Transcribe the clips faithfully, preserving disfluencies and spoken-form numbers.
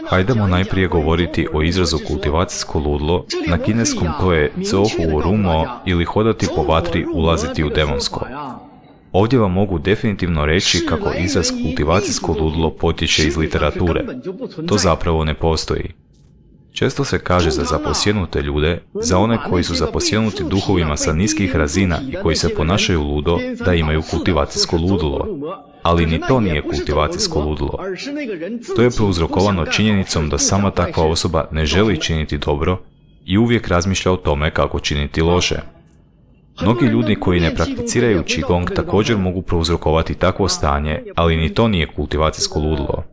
Hajdemo najprije govoriti o izrazu kultivacijsko ludilo, na kineskom to je Zhou Rumo ili hodati po vatri, ulaziti u demonsko. Ovdje vam mogu definitivno reći kako izraz kultivacijsko ludilo potječe iz literature. To zapravo ne postoji. Često se kaže za zaposjenute ljude, za one koji su zaposjenuti duhovima sa niskih razina i koji se ponašaju ludo, da imaju kultivacijsko ludilo. Ali ni to nije kultivacijsko ludilo. To je prouzrokovano činjenicom da sama takva osoba ne želi činiti dobro i uvijek razmišlja o tome kako činiti loše. Mnogi ljudi koji ne prakticiraju Qigong također mogu prouzrokovati takvo stanje, ali ni to nije kultivacijsko ludilo.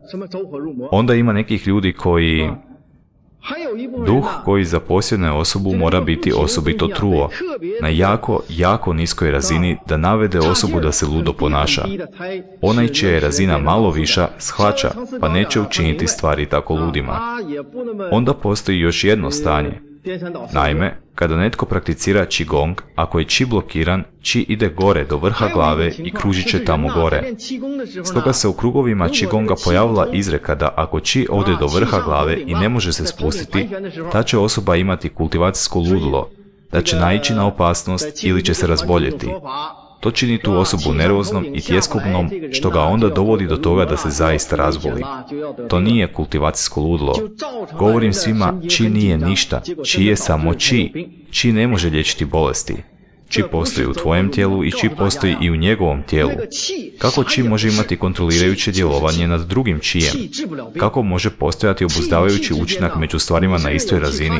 Onda ima nekih ljudi koji... Duh koji zaposjedne osobu mora biti osobito truo, na jako, jako niskoj razini da navede osobu da se ludo ponaša. Onaj čija je razina malo viša shvaća, pa neće učiniti stvari tako ludima. Onda postoji još jedno stanje. Naime, kada netko prakticira Qigong, ako je Qi blokiran, Qi ide gore do vrha glave i kružit će tamo gore. Stoga se u krugovima Qigonga pojavila izreka da ako Qi ode do vrha glave i ne može se spustiti, ta će osoba imati kultivacijsko ludilo, da će naići na opasnost ili će se razboljeti. To čini tu osobu nervoznom i tjeskobnom, što ga onda dovodi do toga da se zaista razboli. To nije kultivacijsko ludilo. Govorim svima, Qi nije ništa, Qi je samo Qi. Qi ne može liječiti bolesti. Qi postoji u tvojem tijelu i Qi postoji i u njegovom tijelu. Kako Qi može imati kontrolirajuće djelovanje nad drugim Qijem? Kako može postojati obuzdavajući učinak među stvarima na istoj razini?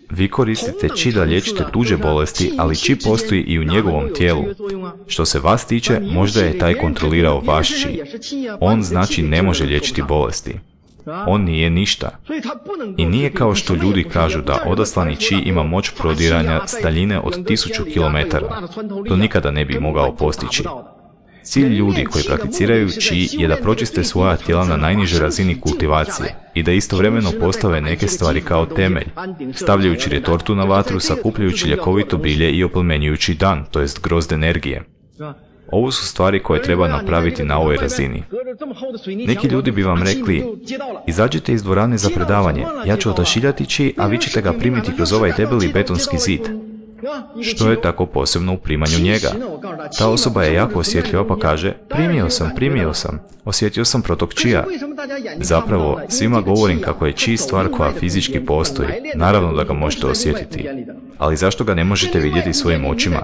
Vi koristite Qi da liječite tuđe bolesti, ali Qi postoji i u njegovom tijelu. Što se vas tiče, možda je taj kontrolirao vaš Qi. On znači ne može liječiti bolesti. On nije ništa. I nije kao što ljudi kažu da odaslani Qi ima moć prodiranja s daljine od tisuću kilometara. To nikada ne bi mogao postići. Cilj ljudi koji prakticiraju Qi je da pročiste svoja tijela na najnižoj razini kultivacije i da istovremeno postave neke stvari kao temelj, stavljajući retortu na vatru, sakupljajući ljekovito bilje i oplemenjujući dan, to jest grozd energije. Ovo su stvari koje treba napraviti na ovoj razini. Neki ljudi bi vam rekli, izađite iz dvorane za predavanje, ja ću odašiljati Qi, a vi ćete ga primiti kroz ovaj debeli betonski zid. Što je tako posebno u primanju njega? Ta osoba je jako osjetljiva pa kaže, primio sam, primio sam, osjetio sam protok Qija. Zapravo, svima govorim kako je Qi stvar koja fizički postoji, naravno da ga možete osjetiti. Ali zašto ga ne možete vidjeti svojim očima?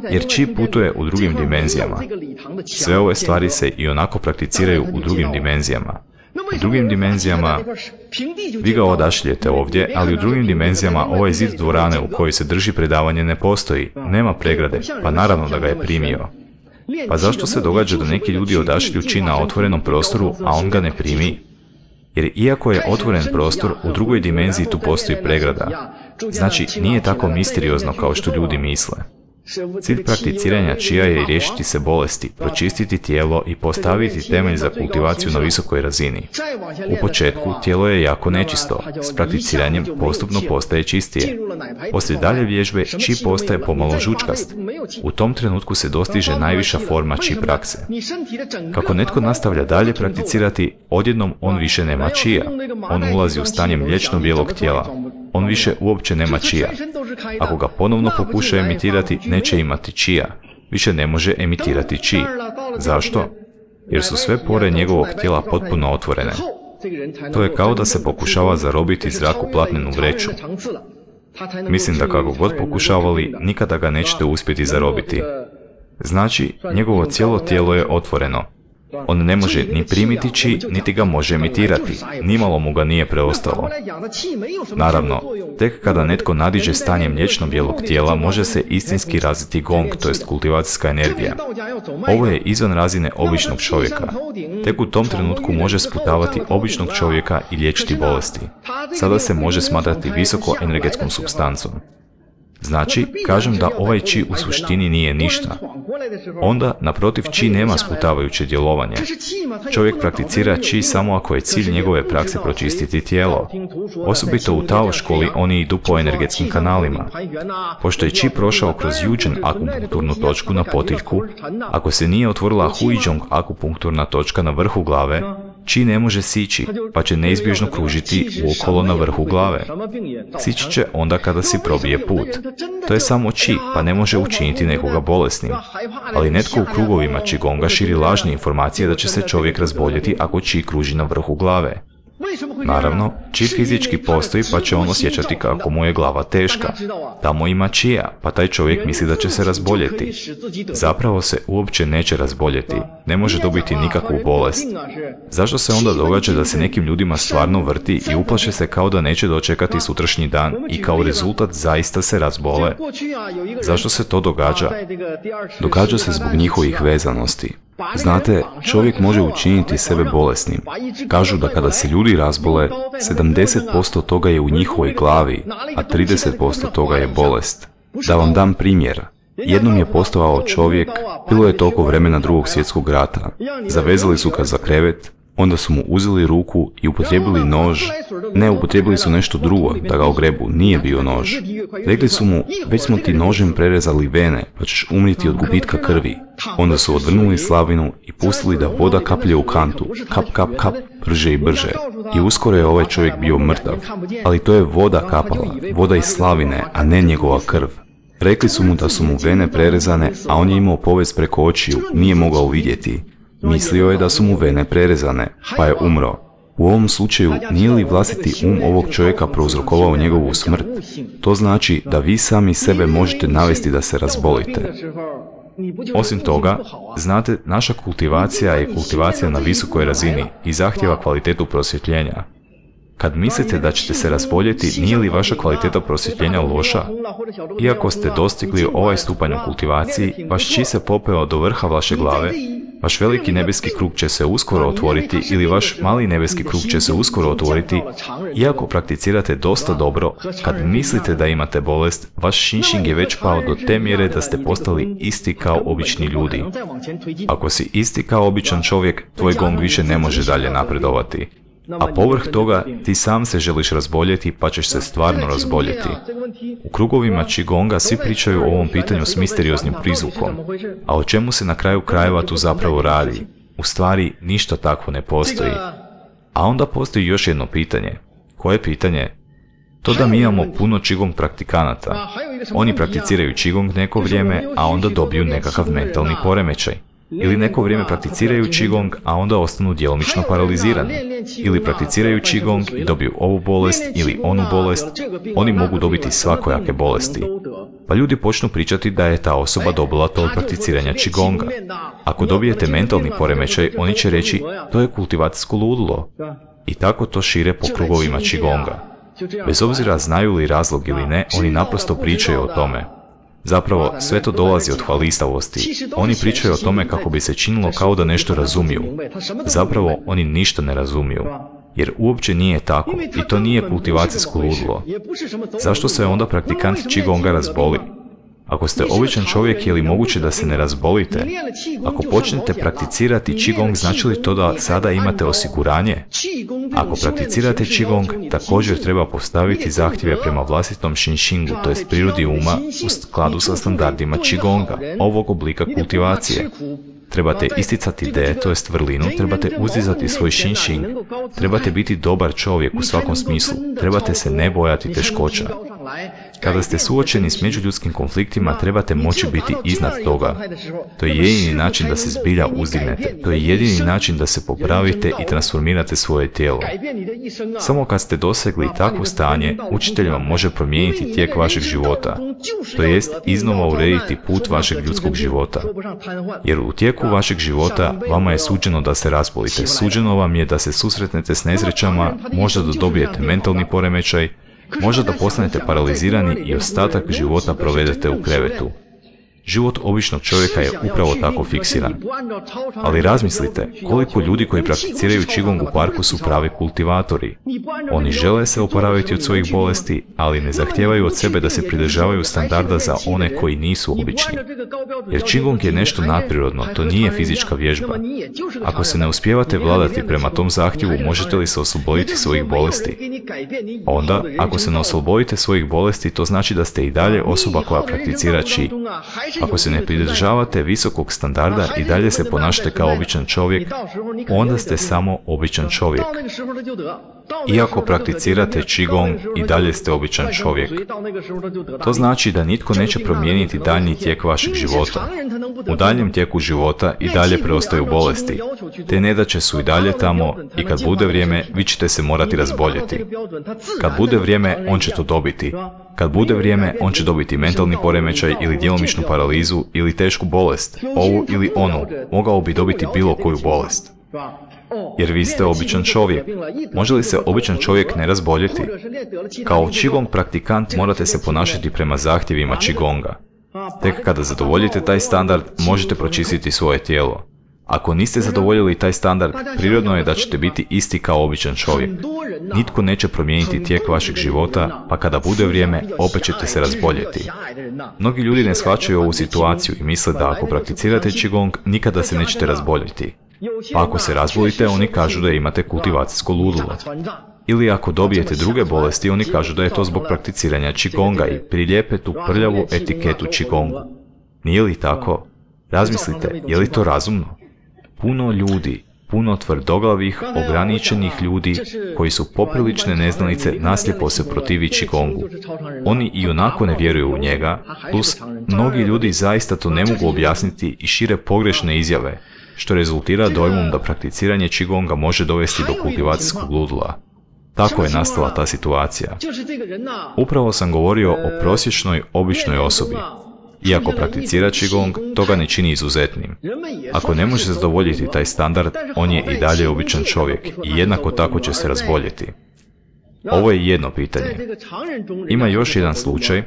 Jer Qi putuje u drugim dimenzijama. Sve ove stvari se i onako prakticiraju u drugim dimenzijama. U drugim dimenzijama, vi ga odašiljete ovdje, ali u drugim dimenzijama ovaj zid dvorane u kojoj se drži predavanje ne postoji, nema pregrade, pa naravno da ga je primio. Pa zašto se događa da neki ljudi odašilju Qi na otvorenom prostoru, a on ga ne primi? Jer iako je otvoren prostor, u drugoj dimenziji tu postoji pregrada. Znači, nije tako misteriozno kao što ljudi misle. Cilj prakticiranja Qija je riješiti se bolesti, pročistiti tijelo i postaviti temelj za kultivaciju na visokoj razini. U početku tijelo je jako nečisto, s prakticiranjem postupno postaje čistije. Poslije dalje vježbe Qi postaje pomalo žučkast. U tom trenutku se dostiže najviša forma Qi prakse. Kako netko nastavlja dalje prakticirati, odjednom on više nema Qija. On ulazi u stanje mliječno bijelog tijela. On više uopće nema Qija. Ako ga ponovno pokuša emitirati, neće imati Qija. Više ne može emitirati Qi. Zašto? Jer su sve pore njegovog tijela potpuno otvorene. To je kao da se pokušava zarobiti zrak u platnenu vreću. Mislim da kako god pokušavali, nikada ga nećete uspjeti zarobiti. Znači, njegovo cijelo tijelo je otvoreno. On ne može ni primiti Qi, niti ga može emitirati. Nimalo mu ga nije preostalo. Naravno, tek kada netko nadiđe stanje mliječno bijelog tijela, može se istinski razviti gong, to jest kultivacijska energija. Ovo je izvan razine običnog čovjeka. Tek u tom trenutku može sputavati običnog čovjeka i liječiti bolesti. Sada se može smatrati visoko energetskom supstancom. Znači, kažem da ovaj Qi u suštini nije ništa. Onda, naprotiv, Qi nema sputavajuće djelovanje. Čovjek prakticira Qi samo ako je cilj njegove prakse pročistiti tijelo. Osobito u Tao školi oni idu po energetskim kanalima. Pošto je Qi prošao kroz Yujin akupunkturnu točku na potiljku, ako se nije otvorila Huizhong akupunkturna točka na vrhu glave, Qi ne može sići, pa će neizbježno kružiti uokolo na vrhu glave. Sići će onda kada si probije put. To je samo Qi, pa ne može učiniti nekoga bolesnim. Ali netko u krugovima Qigonga širi lažne informacije da će se čovjek razboljeti ako Qi kruži na vrhu glave. Naravno, Qi fizički postoji pa će on osjećati kako mu je glava teška. Tamo ima Qija, pa taj čovjek misli da će se razboljeti. Zapravo se uopće neće razboljeti, ne može dobiti nikakvu bolest. Zašto se onda događa da se nekim ljudima stvarno vrti i uplaše se kao da neće dočekati sutrašnji dan i kao rezultat zaista se razbole? Zašto se to događa? Događa se zbog njihovih vezanosti. Znate, čovjek može učiniti sebe bolesnim. Kažu da kada se ljudi razbole, sedamdeset posto toga je u njihovoj glavi, a trideset posto toga je bolest. Da vam dam primjer. Jednom je postojao čovjek, bilo je toliko vremena Drugog svjetskog rata. Zavezali su ga za krevet, onda su mu uzeli ruku i upotrijebili nož. Ne, upotrijebili su nešto drugo da ga ogrebu, nije bio nož. Rekli su mu, već smo ti nožem prerezali vene, pa ćeš umriti od gubitka krvi. Onda su odvrnuli slavinu i pustili da voda kaplje u kantu, kap, kap, kap, brže i brže. I uskoro je ovaj čovjek bio mrtav, ali to je voda kapala, voda iz slavine, a ne njegova krv. Rekli su mu da su mu vene prerezane, a on je imao povez preko očiju, nije mogao vidjeti. Mislio je da su mu vene prerezane, pa je umro. U ovom slučaju nije li vlastiti um ovog čovjeka prouzrokovao njegovu smrt? To znači da vi sami sebe možete navesti da se razbolite. Osim toga, znate, naša kultivacija je kultivacija na visokoj razini i zahtjeva kvalitetu prosvjetljenja. Kad mislite da ćete se razboljeti, nije li vaša kvaliteta prosvjetljenja loša? Iako ste dostigli ovaj stupanj u kultivaciji, vaš Qi se popeo do vrha vaše glave, vaš veliki nebeski krug će se uskoro otvoriti ili vaš mali nebeski krug će se uskoro otvoriti. Iako prakticirate dosta dobro, kad mislite da imate bolest, vaš Xinxing je već pao do te mjere da ste postali isti kao obični ljudi. Ako si isti kao običan čovjek, tvoj gong više ne može dalje napredovati. A povrh toga, ti sam se želiš razboljeti pa ćeš se stvarno razboljeti. U krugovima Qigonga svi pričaju o ovom pitanju s misterioznim prizvukom. A o čemu se na kraju krajeva tu zapravo radi? U stvari, ništa takvo ne postoji. A onda postoji još jedno pitanje. Koje pitanje? To da mi imamo puno Qigong praktikanata. Oni prakticiraju Qigong neko vrijeme, a onda dobiju nekakav mentalni poremećaj. Ili neko vrijeme prakticiraju Qigong, a onda ostanu djelomično paralizirani. Ili prakticiraju Qigong i dobiju ovu bolest ili onu bolest. Oni mogu dobiti svakojake bolesti. Pa ljudi počnu pričati da je ta osoba dobila to od prakticiranja Qigonga. Ako dobijete mentalni poremećaj, oni će reći, to je kultivacijsko ludilo. I tako to šire po krugovima Qigonga. Bez obzira znaju li razlog ili ne, oni naprosto pričaju o tome. Zapravo, sve to dolazi od hvalisavosti. Oni pričaju o tome kako bi se činilo kao da nešto razumiju. Zapravo, oni ništa ne razumiju. Jer uopće nije tako i to nije kultivacijsko ludilo. Zašto se onda praktikant Qigonga razboli? Ako ste običan čovjek, je li moguće da se ne razbolite? Ako počnete prakticirati Qigong, znači li to da sada imate osiguranje? Ako prakticirate Qigong, također treba postaviti zahtjeve prema vlastitom Xinxingu, to jest prirodi uma, u skladu sa standardima Qigonga, ovog oblika kultivacije. Trebate isticati de, to jest vrlinu, trebate uzdizati svoj Xinxing, trebate biti dobar čovjek u svakom smislu, trebate se ne bojati teškoća. Kada ste suočeni s međuljudskim konfliktima, trebate moći biti iznad toga. To je jedini način da se zbilja uzdignete. To je jedini način da se popravite i transformirate svoje tijelo. Samo kad ste dosegli takvo stanje, učitelj vam može promijeniti tijek vašeg života. To jest iznova urediti put vašeg ljudskog života. Jer u tijeku vašeg života vama je suđeno da se razbolite. Suđeno vam je da se susretnete s nesrećama, možda da dobijete mentalni poremećaj, možda da postanete paralizirani i ostatak života provedete u krevetu. Život običnog čovjeka je upravo tako fiksiran. Ali razmislite, koliko ljudi koji prakticiraju Qigong u parku su pravi kultivatori. Oni žele se oporaviti od svojih bolesti, ali ne zahtijevaju od sebe da se pridržavaju standarda za one koji nisu obični. Jer Qigong je nešto nadprirodno, to nije fizička vježba. Ako se ne uspijevate vladati prema tom zahtjevu, možete li se osloboditi svojih bolesti? Onda, ako se ne oslobodite svojih bolesti, to znači da ste i dalje osoba koja prakticira Qi. Ako se ne pridržavate visokog standarda i dalje se ponašate kao običan čovjek, onda ste samo običan čovjek. Iako prakticirate Qigong, i dalje ste običan čovjek. To znači da nitko neće promijeniti daljnji tijek vašeg života. U daljnjem tijeku života i dalje preostaju bolesti. Te nedaće su i dalje tamo i kad bude vrijeme, vi ćete se morati razboljeti. Kad bude vrijeme, on će to dobiti. Kad bude vrijeme, on će dobiti mentalni poremećaj ili djelomičnu paralizu ili tešku bolest, ovu ili onu, mogao bi dobiti bilo koju bolest. Jer vi ste običan čovjek. Može li se običan čovjek ne razboljeti? Kao Qigong praktikant morate se ponašati prema zahtjevima Qigonga. Tek kada zadovoljite taj standard, možete pročistiti svoje tijelo. Ako niste zadovoljili taj standard, prirodno je da ćete biti isti kao običan čovjek. Nitko neće promijeniti tijek vašeg života, pa kada bude vrijeme, opet ćete se razboljeti. Mnogi ljudi ne shvaćaju ovu situaciju i misle da ako prakticirate Qigong, nikada se nećete razboljeti. Pa ako se razbolite, oni kažu da imate kultivacijsko ludilo. Ili ako dobijete druge bolesti, oni kažu da je to zbog prakticiranja Qigonga i prilijepe tu prljavu etiketu Qigongu. Nije li tako? Razmislite, je li to razumno? Puno ljudi, puno tvrdoglavih, ograničenih ljudi koji su poprilične neznalice naslijepo se protivi Qigongu. Oni i onako ne vjeruju u njega, plus mnogi ljudi zaista to ne mogu objasniti i šire pogrešne izjave, što rezultira dojmom da prakticiranje Qigonga može dovesti do kultivacijskog ludila. Tako je nastala ta situacija. Upravo sam govorio o prosječnoj, običnoj osobi. Iako prakticira Qigong, to ga ne čini izuzetnim. Ako ne može zadovoljiti taj standard, on je i dalje običan čovjek i jednako tako će se razboljeti. Ovo je jedno pitanje. Ima još jedan slučaj,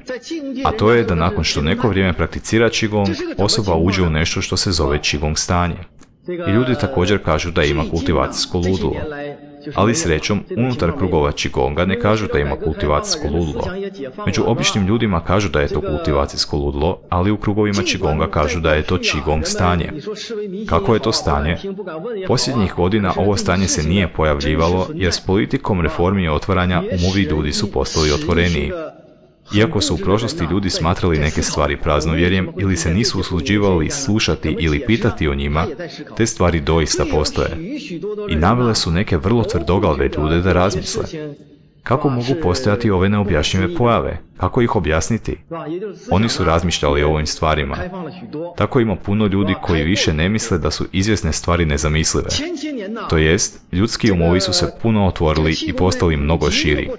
a to je da nakon što neko vrijeme prakticira Qigong, osoba uđe u nešto što se zove Qigong stanje. I ljudi također kažu da ima kultivacijsko ludilo. Ali srećom, unutar krugova Qigonga ne kažu da ima kultivacijsko ludilo. Među običnim ljudima kažu da je to kultivacijsko ludilo, ali u krugovima Qigonga kažu da je to Qigong stanje. Kako je to stanje? Posljednjih godina ovo stanje se nije pojavljivalo, jer s politikom reformi i otvaranja umovi ljudi su postali otvoreniji. Iako su u prošlosti ljudi smatrali neke stvari praznovjerjem ili se nisu usuđivali slušati ili pitati o njima, te stvari doista postoje. I navele su neke vrlo tvrdoglave ljude da razmisle. Kako mogu postojati ove neobjašnjive pojave? Kako ih objasniti? Oni su razmišljali o ovim stvarima. Tako ima puno ljudi koji više ne misle da su izvjesne stvari nezamislive. To jest, ljudski umovi su se puno otvorili i postali mnogo širi.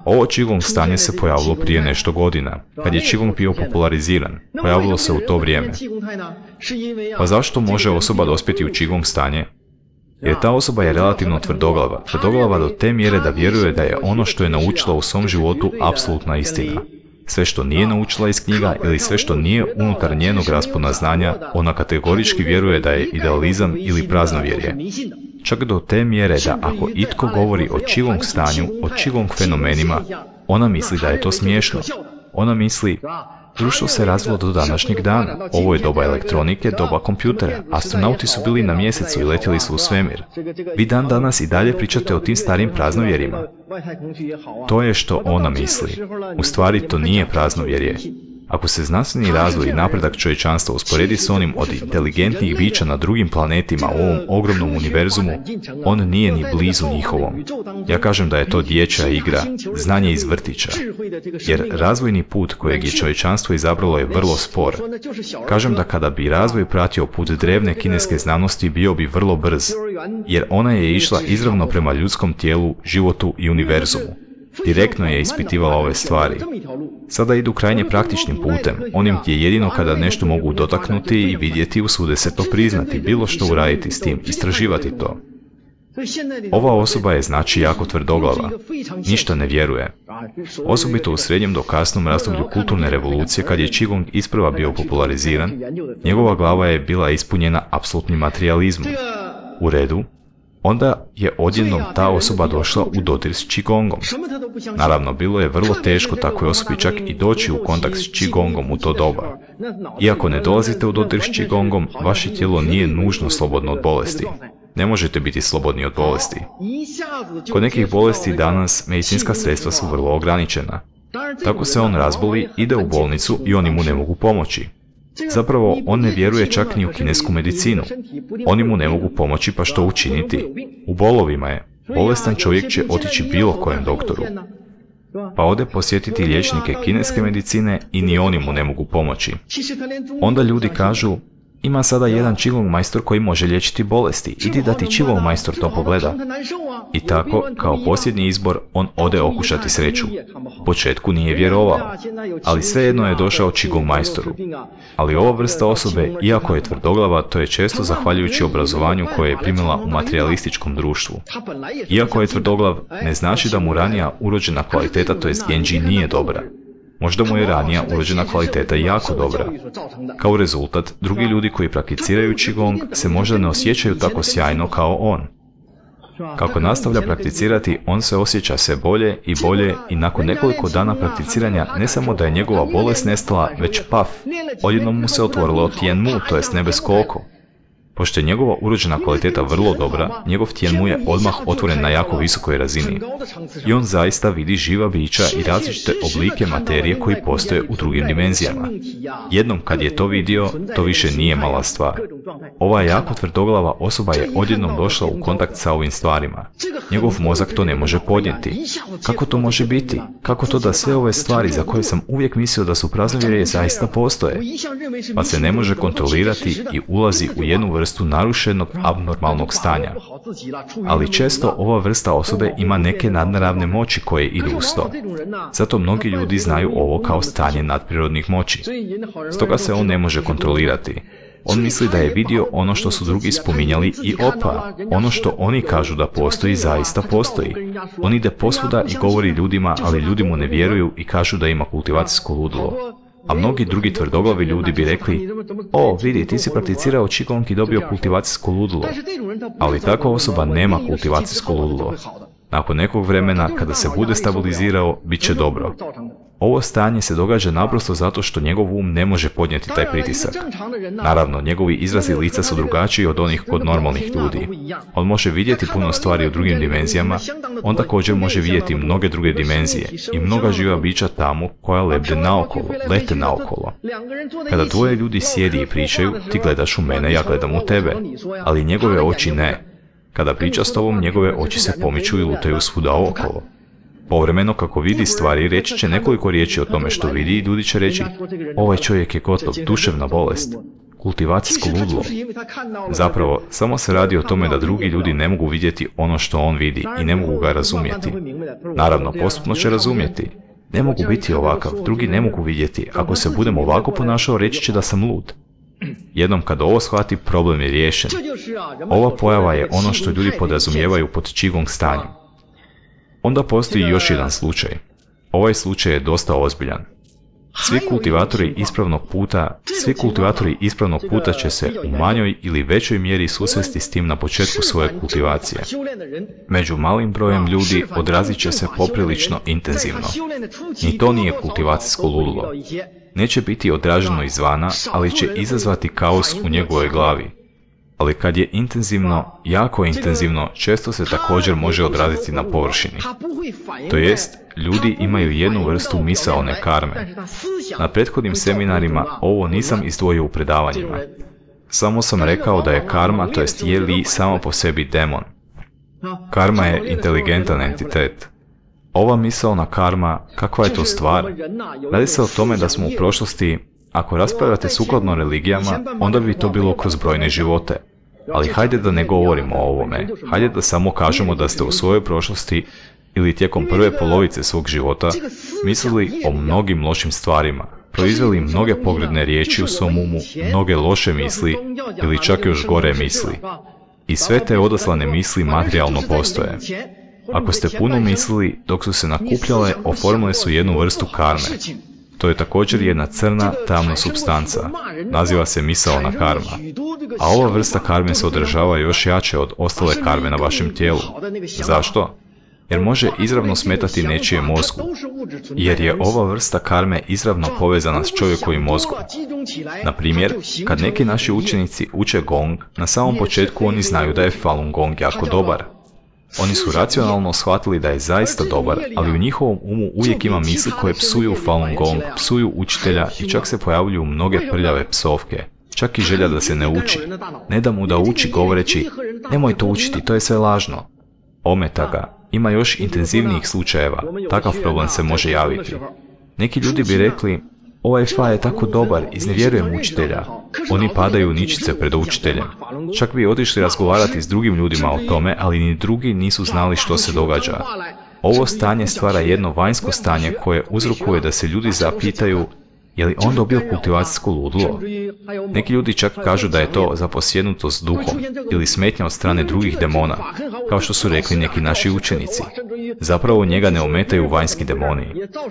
Ovo Qigong stanje se pojavilo prije nešto godina, kad je Qigong bio populariziran. Pojavilo se u to vrijeme. Pa zašto može osoba dospjeti u Qigong stanje? Jer ta osoba je relativno tvrdoglava, tvrdoglava do te mjere da vjeruje da je ono što je naučila u svom životu apsolutna istina. Sve što nije naučila iz knjiga ili sve što nije unutar njenog raspona znanja, ona kategorički vjeruje da je idealizam ili praznovjerje. Čak do te mjere da ako itko govori o Qigong stanju, o Qigong fenomenima, ona misli da je to smiješno. Ona misli, društvo se razvilo do današnjeg dana. Ovo je doba elektronike, doba kompjutera. Astronauti su bili na mjesecu i letjeli su u svemir. Vi dan danas i dalje pričate o tim starim praznovjerima. To je što ona misli. U stvari to nije praznovjerje. Ako se znanstveni razvoj i napredak čovječanstva usporedi s onim od inteligentnih bića na drugim planetima u ovom ogromnom univerzumu, on nije ni blizu njihovom. Ja kažem da je to dječja igra, znanje iz vrtića. Jer razvojni put kojeg je čovječanstvo izabralo je vrlo spor. Kažem da kada bi razvoj pratio put drevne kineske znanosti, bio bi vrlo brz, jer ona je išla izravno prema ljudskom tijelu, životu i univerzumu. Direktno je ispitivala ove stvari. Sada idu krajnje praktičnim putem, onim gdje jedino kada nešto mogu dotaknuti i vidjeti, usude se to priznati, bilo što uraditi s tim, istraživati to. Ova osoba je znači jako tvrdoglava, ništa ne vjeruje. Osobito u srednjem do kasnom razdoblju kulturne revolucije, kad je Qigong isprva bio populariziran, njegova glava je bila ispunjena apsolutnim materijalizmom. U redu, onda je odjednom ta osoba došla u dodir s Qigongom. Naravno, bilo je vrlo teško takvoj osobi čak i doći u kontakt s Qigongom u to doba. Iako ne dolazite u dodir s Qigongom, vaše tijelo nije nužno slobodno od bolesti. Ne možete biti slobodni od bolesti. Kod nekih bolesti danas medicinska sredstva su vrlo ograničena. Tako se on razboli, ide u bolnicu i oni mu ne mogu pomoći. Zapravo, on ne vjeruje čak ni u kinesku medicinu. Oni mu ne mogu pomoći, pa što učiniti? U bolovima je. Bolestan čovjek će otići bilo kojem doktoru. Pa ode posjetiti liječnike kineske medicine i ni oni mu ne mogu pomoći. Onda ljudi kažu, ima sada jedan Qigong majstor koji može liječiti bolesti, idi da ti Qigong majstor to pogleda. I tako, kao posljednji izbor, on ode okušati sreću. U početku nije vjerovao, ali svejedno je došao Qigong majstoru. Ali ova vrsta osobe, iako je tvrdoglava, to je često zahvaljujući obrazovanju koje je primila u materijalističkom društvu. Iako je tvrdoglav, ne znači da mu ranija urođena kvaliteta, to jest genji, nije dobra. Možda mu je ranija urođena kvaliteta jako dobra. Kao rezultat, drugi ljudi koji prakticiraju Qigong se možda ne osjećaju tako sjajno kao on. Kako nastavlja prakticirati, on se osjeća sve bolje i bolje i nakon nekoliko dana prakticiranja ne samo da je njegova bolest nestala, već paf, odjednom mu se otvorilo Tien Mu, to jest nebesko oko. Pošto je njegova urođena kvaliteta vrlo dobra, njegov Tien Mu je odmah otvoren na jako visokoj razini. I on zaista vidi živa bića i različite oblike materije koji postoje u drugim dimenzijama. Jednom kad je to vidio, to više nije mala stvar. Ova jako tvrdoglava osoba je odjednom došla u kontakt sa ovim stvarima. Njegov mozak to ne može podnijeti. Kako to može biti? Kako to da sve ove stvari za koje sam uvijek mislio da su praznovjerje zaista postoje? Pa se ne može kontrolirati i ulazi u jednu vrstu narušenog abnormalnog stanja. Ali često ova vrsta osobe ima neke nadnaravne moći koje idu uz to. Zato mnogi ljudi znaju ovo kao stanje nadprirodnih moći. Stoga se on ne može kontrolirati. On misli da je vidio ono što su drugi spominjali i opa, ono što oni kažu da postoji, zaista postoji. On ide posvuda i govori ljudima, ali ljudi mu ne vjeruju i kažu da ima kultivacijsko ludilo. A mnogi drugi tvrdoglavi ljudi bi rekli, o, vidi, ti si prakticirao Qigong i dobio kultivacijsko ludilo. Ali takva osoba nema kultivacijsko ludilo. Nakon nekog vremena, kada se bude stabilizirao, bit će dobro. Ovo stanje se događa naprosto zato što njegov um ne može podnijeti taj pritisak. Naravno, njegovi izrazi lica su drugačiji od onih kod normalnih ljudi. On može vidjeti puno stvari u drugim dimenzijama, on također može vidjeti mnoge druge dimenzije i mnoga živa bića tamo koja lebde naokolo, lete naokolo. Kada dvoje ljudi sjedi i pričaju, ti gledaš u mene, ja gledam u tebe, ali njegove oči ne. Kada priča s tobom, njegove oči se pomiču i lutaju svuda okolo. Povremeno, kako vidi stvari, reći će nekoliko riječi o tome što vidi i ljudi će reći, ovaj čovjek je gotov, duševna bolest, kultivacijsko ludilo. Zapravo, samo se radi o tome da drugi ljudi ne mogu vidjeti ono što on vidi i ne mogu ga razumjeti. Naravno, postupno će razumjeti. Ne mogu biti ovakav, drugi ne mogu vidjeti. Ako se budem ovako ponašao, reći će da sam lud. Jednom kad ovo shvati, problem je riješen. Ova pojava je ono što ljudi podrazumijevaju pod Qigong stanjem. Onda postoji još jedan slučaj. Ovaj slučaj je dosta ozbiljan. Svi kultivatori ispravnog puta, svi kultivatori ispravnog puta će se u manjoj ili većoj mjeri susresti s tim na početku svoje kultivacije. Među malim brojem ljudi odrazit će se poprilično intenzivno. Ni to nije kultivacijsko ludilo. Neće biti odraženo izvana, ali će izazvati kaos u njegovoj glavi. Ali kad je intenzivno, jako intenzivno, često se također može odraziti na površini. To jest, ljudi imaju jednu vrstu misaone karme. Na prethodnim seminarima ovo nisam izdvojio u predavanjima. Samo sam rekao da je karma, to jest je li samo po sebi demon. Karma je inteligentan entitet. Ova misaona karma, kakva je to stvar? Radi se o tome da smo u prošlosti, ako raspravljate sukladno religijama, onda bi to bilo kroz brojne živote. Ali hajde da ne govorimo o ovome. Hajde da samo kažemo da ste u svojoj prošlosti ili tijekom prve polovice svog života mislili o mnogim lošim stvarima, proizveli mnoge pogrdne riječi u svom umu, mnoge loše misli ili čak još gore misli. I sve te odaslane misli materijalno postoje. Ako ste puno mislili, dok su se nakupljale, oformile su jednu vrstu karme. To je također jedna crna, tamna supstanca. Naziva se misaona karma. A ova vrsta karme se održava još jače od ostale karme na vašem tijelu. Zašto? jer može izravno smetati nečije mozgu, jer je ova vrsta karme izravno povezana s čovjekovim mozgom. Na primjer, kad neki naši učenici uče gong, na samom početku oni znaju da je Falun Gong jako dobar. Oni su racionalno shvatili da je zaista dobar, ali u njihovom umu uvijek ima misli koje psuju Falun Gong, psuju učitelja i čak se pojavljuju mnoge prljave psovke. Čak i želja da se ne uči. Ne da mu da uči govoreći, nemoj to učiti, to je sve lažno. Ometa ga. Ima još intenzivnijih slučajeva. Takav problem se može javiti. Neki ljudi bi rekli, ovaj fa je tako dobar, iznevjerujem učitelja. Oni padaju ničice pred učiteljem. Čak bi otišli razgovarati s drugim ljudima o tome, ali ni drugi nisu znali što se događa. Ovo stanje stvara jedno vanjsko stanje koje uzrokuje da se ljudi zapitaju, je li on dobio kultivacijsko ludilo? Neki ljudi čak kažu da je to zaposjednutost duhom ili smetnja od strane drugih demona, kao što su rekli neki naši učenici. Zapravo njega ne ometaju vanjski demoni.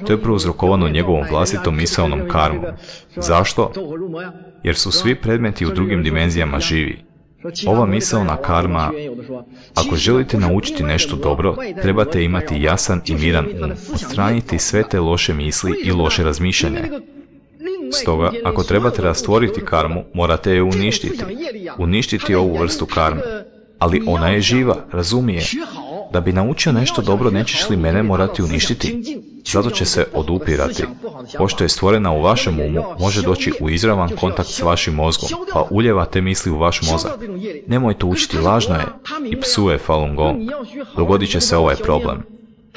To je prouzrokovano njegovom vlastitom misaonom karmom. Zašto? Jer su svi predmeti u drugim dimenzijama živi. Ova misaona karma, ako želite naučiti nešto dobro, trebate imati jasan i miran um, odstraniti sve te loše misli i loše razmišljanje. Stoga, ako trebate rastvoriti karmu, morate je uništiti. Uništiti ovu vrstu karme. Ali ona je živa, razumije. Da bi naučio nešto dobro, nećeš li mene morati uništiti? Zato će se odupirati. Pošto je stvorena u vašem umu, može doći u izravan kontakt s vašim mozgom, pa uljeva te misli u vaš mozak. Nemoj to učiti, lažno je, i psuje Falun Gong. Dogodit će se ovaj problem.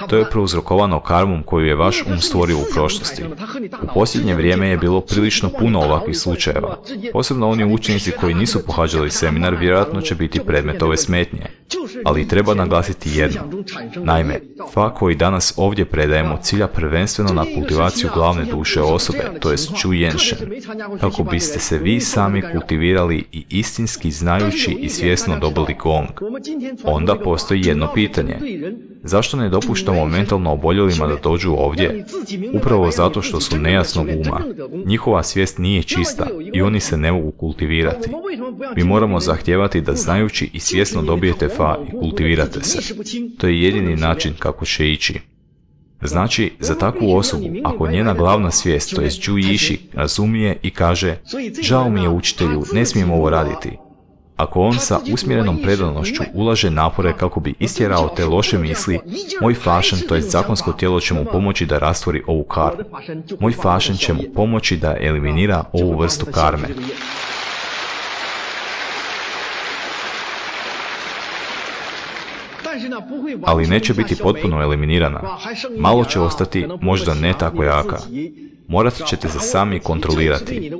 To je prouzrokovano karmom koju je vaš um stvorio u prošlosti. U posljednje vrijeme je bilo prilično puno ovakvih slučajeva. Posebno oni učenici koji nisu pohađali seminar vjerojatno će biti predmet ove smetnje. Ali treba naglasiti jedno. Naime, fa koji danas ovdje predajemo cilja prvenstveno na kultivaciju glavne duše osobe, to jest Zhu Yansheng, kako biste se vi sami kultivirali i istinski znajući i svjesno dobili gong. Onda postoji jedno pitanje. Zašto ne dopuštamo mentalno oboljelima da dođu ovdje? Upravo zato što su nejasnog uma. Njihova svijest nije čista i oni se ne mogu kultivirati. Mi moramo zahtijevati da znajući i svjesno dobijete fa i kultivirate se. To je jedini način kako će ići. Znači, za takvu osobu, ako njena glavna svijest, to jest Zhu Yishi, razumije i kaže, žao mi je učitelju, ne smijem ovo raditi. Ako on sa usmjerenom predanošću ulaže napore kako bi istjerao te loše misli, moj fašen, to jest zakonsko tijelo, će mu pomoći da rastvori ovu karmu. Moj fašen će mu pomoći da eliminira ovu vrstu karme. Ali neće biti potpuno eliminirana. Malo će ostati, možda ne tako jaka. Morat ćete se sami kontrolirati.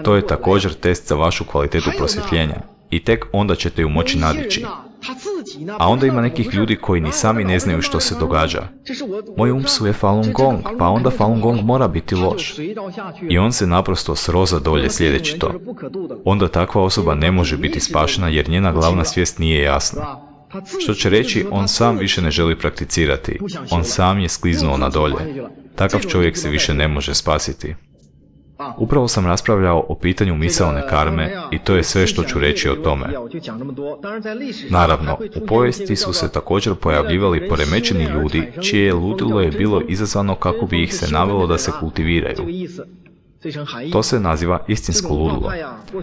To je također test za vašu kvalitetu prosvjetljenja. I tek onda ćete ju moći nadići. A onda ima nekih ljudi koji ni sami ne znaju što se događa. Moj um psuje Falun Gong, pa onda Falun Gong mora biti loš. I on se naprosto sroza dolje sljedeći to. Onda takva osoba ne može biti spašena jer njena glavna svijest nije jasna. Što će reći, on sam više ne želi prakticirati. On sam je skliznuo na dolje. Takav čovjek se više ne može spasiti. Upravo sam raspravljao o pitanju misaone karme i to je sve što ću reći o tome. Naravno, u povijesti su se također pojavljivali poremećeni ljudi čije je ludilo je bilo izazvano kako bi ih se navelo da se kultiviraju. To se naziva istinsko ludilo.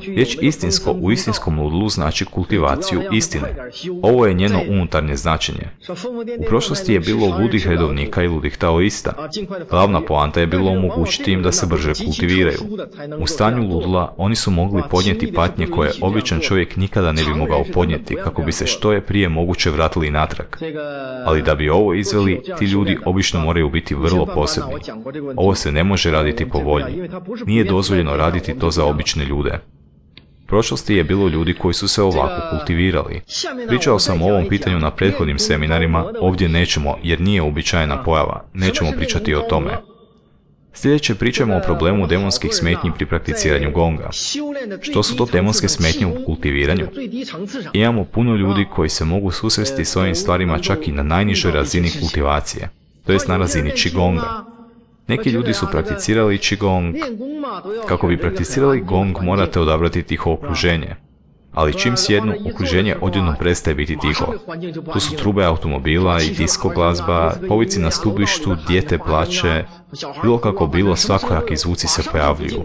Riječ istinsko u istinskom ludilu znači kultivaciju istine. Ovo je njeno unutarnje značenje. U prošlosti je bilo ludih redovnika i ludih taoista. Glavna poanta je bilo omogućiti im da se brže kultiviraju. U stanju ludila oni su mogli podnijeti patnje koje običan čovjek nikada ne bi mogao podnijeti kako bi se što je prije moguće vratili natrag. Ali da bi ovo izveli, ti ljudi obično moraju biti vrlo posebni. Ovo se ne može raditi po volji. Nije dozvoljeno raditi to za obične ljude. U prošlosti je bilo ljudi koji su se ovako kultivirali. Pričao sam o ovom pitanju na prethodnim seminarima, ovdje nećemo jer nije uobičajena pojava, nećemo pričati o tome. Sljedeće pričamo o problemu demonskih smetnji pri prakticiranju gonga. Što su to demonske smetnje u kultiviranju? Imamo puno ljudi koji se mogu susresti s ovim stvarima čak i na najnižoj razini kultivacije, to jest na razini qigonga. Neki ljudi su prakticirali qigong. Kako bi prakticirali gong, morate odabrati tiho okruženje. Ali čim sjednu, okruženje odjednom prestaje biti tiho. Tu su trube automobila i disko glazba, povici na stubištu, dijete plače, bilo kako bilo, svakojaki zvuci se pojavljuju.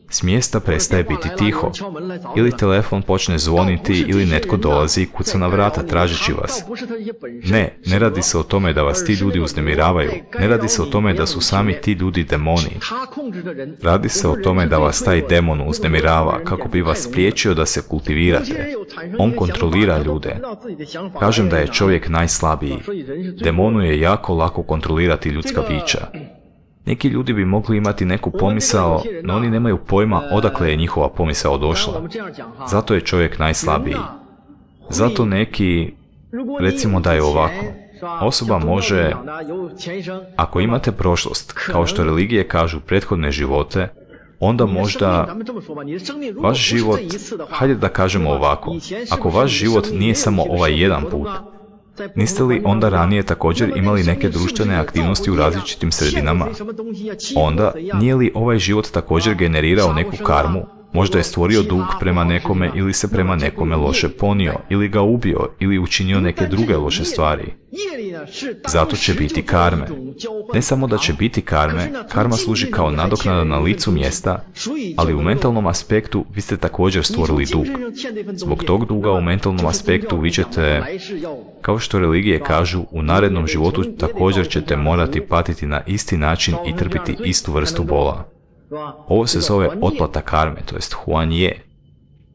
S mjesta prestaje biti tiho. Ili telefon počne zvoniti ili netko dolazi i kuca na vrata tražeći vas. Ne, ne radi se o tome da vas ti ljudi uznemiravaju. Ne radi se o tome da su sami ti ljudi demoni. Radi se o tome da vas taj demon uznemirava kako bi vas spriječio da se kultivirate. On kontrolira ljude. Kažem da je čovjek najslabiji. Demonu je jako lako kontrolirati ljudska bića. Neki ljudi bi mogli imati neku pomisao, no oni nemaju pojma odakle je njihova pomisao došla. Zato je čovjek najslabiji. Zato neki, recimo da je ovako, osoba može, ako imate prošlost, kao što religije kažu prethodne živote, onda možda vaš život, hajde da kažemo ovako, ako vaš život nije samo ovaj jedan put, niste li onda ranije također imali neke društvene aktivnosti u različitim sredinama? Onda, nije li ovaj život također generirao neku karmu? Možda je stvorio dug prema nekome ili se prema nekome loše ponio, ili ga ubio, ili učinio neke druge loše stvari. Zato će biti karme. Ne samo da će biti karme, karma služi kao nadoknada na licu mjesta, ali u mentalnom aspektu vi ste također stvorili dug. Zbog tog duga u mentalnom aspektu vi ćete, kao što religije kažu, u narednom životu također ćete morati patiti na isti način i trpiti istu vrstu bola. Ovo se zove otplata karme, to jest huanje.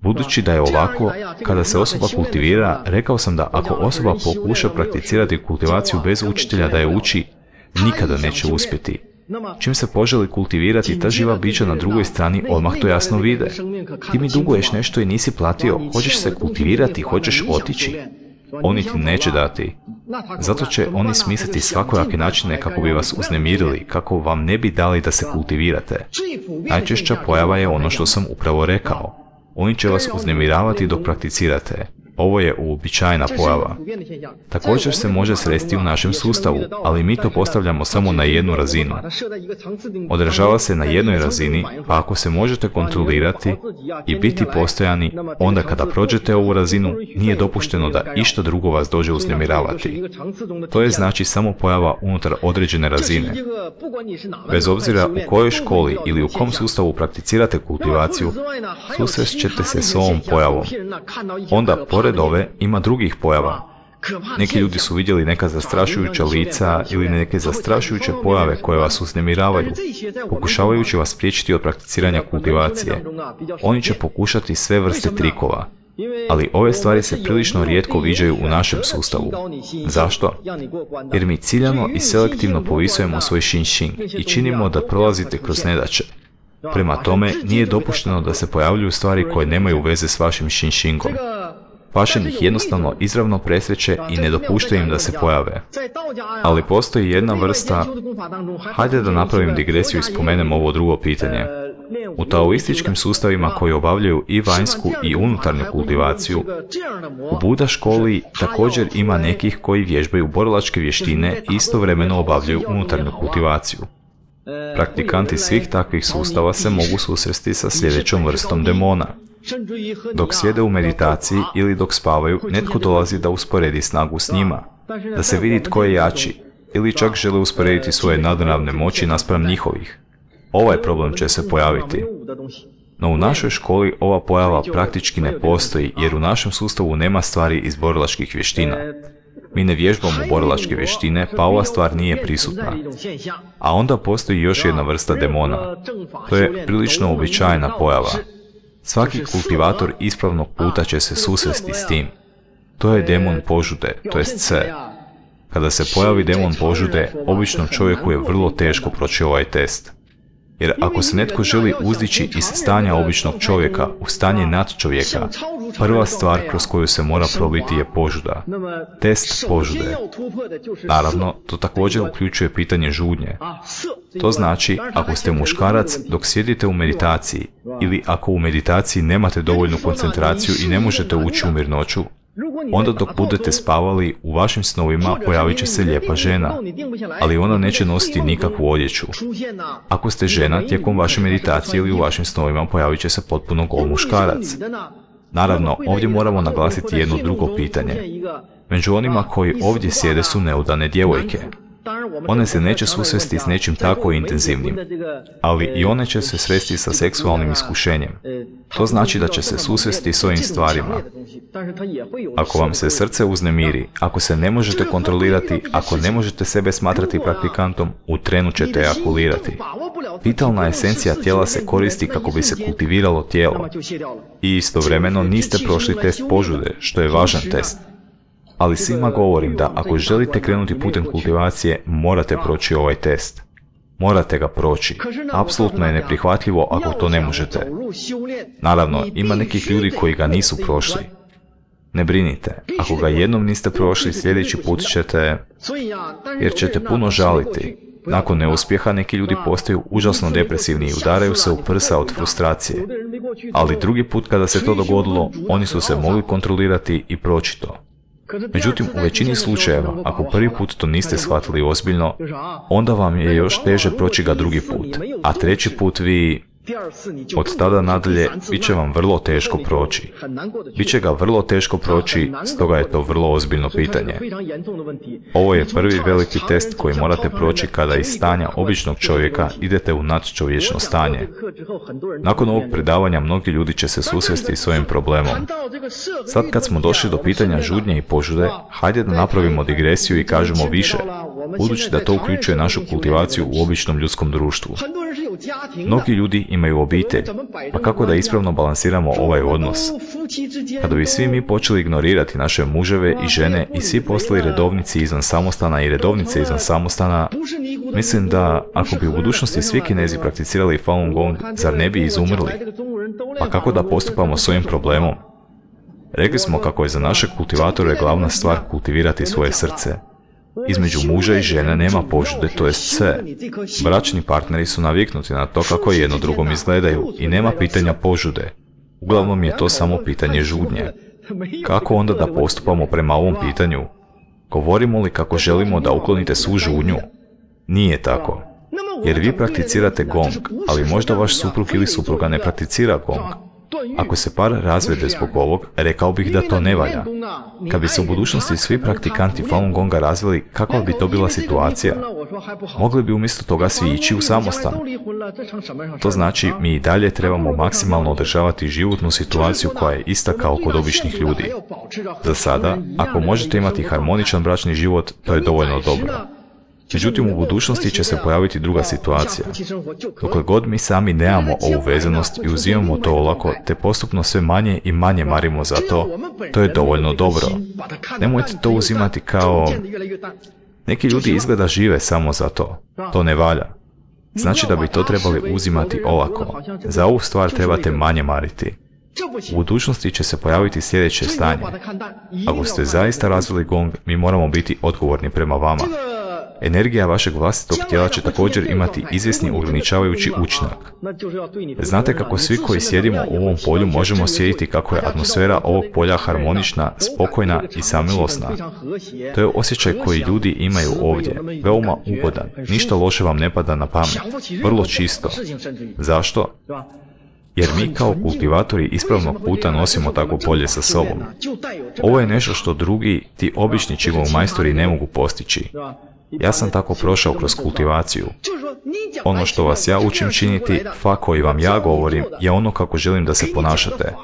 Budući da je ovako, kada se osoba kultivira, rekao sam da ako osoba pokuša prakticirati kultivaciju bez učitelja da je uči, nikada neće uspjeti. Čim se poželi kultivirati, ta živa bića na drugoj strani odmah to jasno vide. Ti mi duguješ nešto i nisi platio, hoćeš se kultivirati, hoćeš otići. Oni ti neće dati. Zato će oni smisliti svakojake načine kako bi vas uznemirili, kako vam ne bi dali da se kultivirate. Najčešća pojava je ono što sam upravo rekao. Oni će vas uznemiravati dok prakticirate. Ovo je uobičajena pojava. Također se može sresti u našem sustavu, ali mi to postavljamo samo na jednu razinu. Odražava se na jednoj razini, pa ako se možete kontrolirati i biti postojani, onda kada prođete ovu razinu, nije dopušteno da išta drugo vas dođe uznemiravati. To je znači samo pojava unutar određene razine. Bez obzira u kojoj školi ili u kom sustavu prakticirate kultivaciju, susrest ćete se s ovom pojavom. Onda, pored ove, ima drugih pojava. Neki ljudi su vidjeli neka zastrašujuća lica ili neke zastrašujuće pojave koje vas uznemiravaju, pokušavajući vas spriječiti od prakticiranja kultivacije. Oni će pokušati sve vrste trikova, ali ove stvari se prilično rijetko viđaju u našem sustavu. Zašto? Jer mi ciljano i selektivno povisujemo svoj shin-shin i činimo da prolazite kroz nedaće. Prema tome, nije dopušteno da se pojavljuju stvari koje nemaju veze s vašim shin-shingom. Pašen ih jednostavno izravno presreće i ne dopušta im da se pojave. Ali postoji jedna vrsta, hajde da napravim digresiju i spomenem ovo drugo pitanje. U taoističkim sustavima koji obavljaju i vanjsku i unutarnju kultivaciju, u Buda školi također ima nekih koji vježbaju borilačke vještine i istovremeno obavljaju unutarnju kultivaciju. Praktikanti svih takvih sustava se mogu susresti sa sljedećom vrstom demona. Dok sjede u meditaciji ili dok spavaju, netko dolazi da usporedi snagu s njima, da se vidi tko je jači, ili čak žele usporediti svoje nadrealne moći naspram njihovih. Ovaj problem će se pojaviti. No u našoj školi ova pojava praktički ne postoji, jer u našem sustavu nema stvari iz borilačkih vještina. Mi ne vježbamo borilačke vještine, pa ova stvar nije prisutna. A onda postoji još jedna vrsta demona. To je prilično uobičajena pojava. Svaki kultivator ispravnog puta će se susresti s tim. To je demon požude, to jest se. Kada se pojavi demon požude, običnom čovjeku je vrlo teško proći ovaj test. Jer ako se netko želi uzdići iz stanja običnog čovjeka u stanje nadčovjeka, prva stvar kroz koju se mora probiti je požuda. Test požude. Naravno, to također uključuje pitanje žudnje. To znači, ako ste muškarac dok sjedite u meditaciji, ili ako u meditaciji nemate dovoljnu koncentraciju i ne možete ući u mirnoću, onda dok budete spavali, u vašim snovima pojavit će se lijepa žena, ali ona neće nositi nikakvu odjeću. Ako ste žena, tijekom vaše meditacije ili u vašim snovima pojavit će se potpuno gol muškarac. Naravno, ovdje moramo naglasiti jedno drugo pitanje. Među onima koji ovdje sjede su neudane djevojke. One se neće susresti s nečim tako intenzivnim, ali i one će se sresti sa seksualnim iskušenjem. To znači da će se susresti s ovim stvarima. Ako vam se srce uznemiri, ako se ne možete kontrolirati, ako ne možete sebe smatrati praktikantom, u trenu ćete ejakulirati. Vitalna esencija tijela se koristi kako bi se kultiviralo tijelo. I istovremeno niste prošli test požude, što je važan test. Ali svima govorim da ako želite krenuti putem kultivacije, morate proći ovaj test. Morate ga proći. Apsolutno je neprihvatljivo ako to ne možete. Naravno, ima nekih ljudi koji ga nisu prošli. Ne brinite, ako ga jednom niste prošli, sljedeći put ćete, jer ćete puno žaliti. Nakon neuspjeha neki ljudi postaju užasno depresivni i udaraju se u prsa od frustracije. Ali drugi put kada se to dogodilo, oni su se mogli kontrolirati i proći to. Međutim, u većini slučajeva, ako prvi put to niste shvatili ozbiljno, onda vam je još teže proći ga drugi put, a treći put vi, od tada nadalje, bit će vam vrlo teško proći. Biće ga vrlo teško proći, stoga je to vrlo ozbiljno pitanje. Ovo je prvi veliki test koji morate proći kada iz stanja običnog čovjeka idete u nadčovječno stanje. Nakon ovog predavanja mnogi ljudi će se susresti s ovim problemom. Sad kad smo došli do pitanja žudnje i požude, hajde da napravimo digresiju i kažemo više, budući da to uključuje našu kultivaciju u običnom ljudskom društvu. Mnogi ljudi imaju obitelj, pa kako da ispravno balansiramo ovaj odnos? Kada bi svi mi počeli ignorirati naše muževe i žene i svi postali redovnici izvan samostana i redovnice izvan samostana, mislim da ako bi u budućnosti svi Kinezi prakticirali Falun Gong, zar ne bi izumrli? Pa kako da postupamo s ovim problemom? Rekli smo kako je za naše kultivatore glavna stvar kultivirati svoje srce. Između muža i žene nema požude, to jest sve. Bračni partneri su naviknuti na to kako jedno drugom izgledaju i nema pitanja požude. Uglavnom je to samo pitanje žudnje. Kako onda da postupamo prema ovom pitanju? Govorimo li kako želimo da uklonite svu žudnju? Nije tako. Jer vi prakticirate gong, ali možda vaš suprug ili supruga ne prakticira gong. Ako se par razvede zbog ovog, rekao bih da to ne valja. Kad bi se u budućnosti svi praktikanti Falun Gonga razvili, kakva bi to bila situacija? Mogli bi umjesto toga svi ići u samostan. To znači, mi i dalje trebamo maksimalno održavati životnu situaciju koja je ista kao kod običnih ljudi. Za sada, ako možete imati harmoničan bračni život, to je dovoljno dobro. Međutim, u budućnosti će se pojaviti druga situacija. Dokle god mi sami nemamo ovu vezanost i uzimamo to olako, te postupno sve manje i manje marimo za to, to je dovoljno dobro. Nemojte to uzimati kao... Neki ljudi izgleda žive samo za to. To ne valja. Znači da bi to trebali uzimati olako. Za ovu stvar trebate manje mariti. U budućnosti će se pojaviti sljedeće stanje. Ako ste zaista razvili gong, mi moramo biti odgovorni prema vama. Energija vašeg vlastitog tijela će također imati izvjesni ograničavajući učinak. Znate kako svi koji sjedimo u ovom polju možemo sjediti kako je atmosfera ovog polja harmonična, spokojna i samilosna. To je osjećaj koji ljudi imaju ovdje, veoma ugodan, ništa loše vam ne pada na pamet, vrlo čisto. Zašto? Jer mi kao kultivatori ispravnog puta nosimo takvo polje sa sobom. Ovo je nešto što drugi, ti obični Qigong majstori ne mogu postići. Ja sam tako prošao kroz kultivaciju. Ono što vas ja učim činiti, fa koji vam ja govorim, je ono kako želim da se ponašate.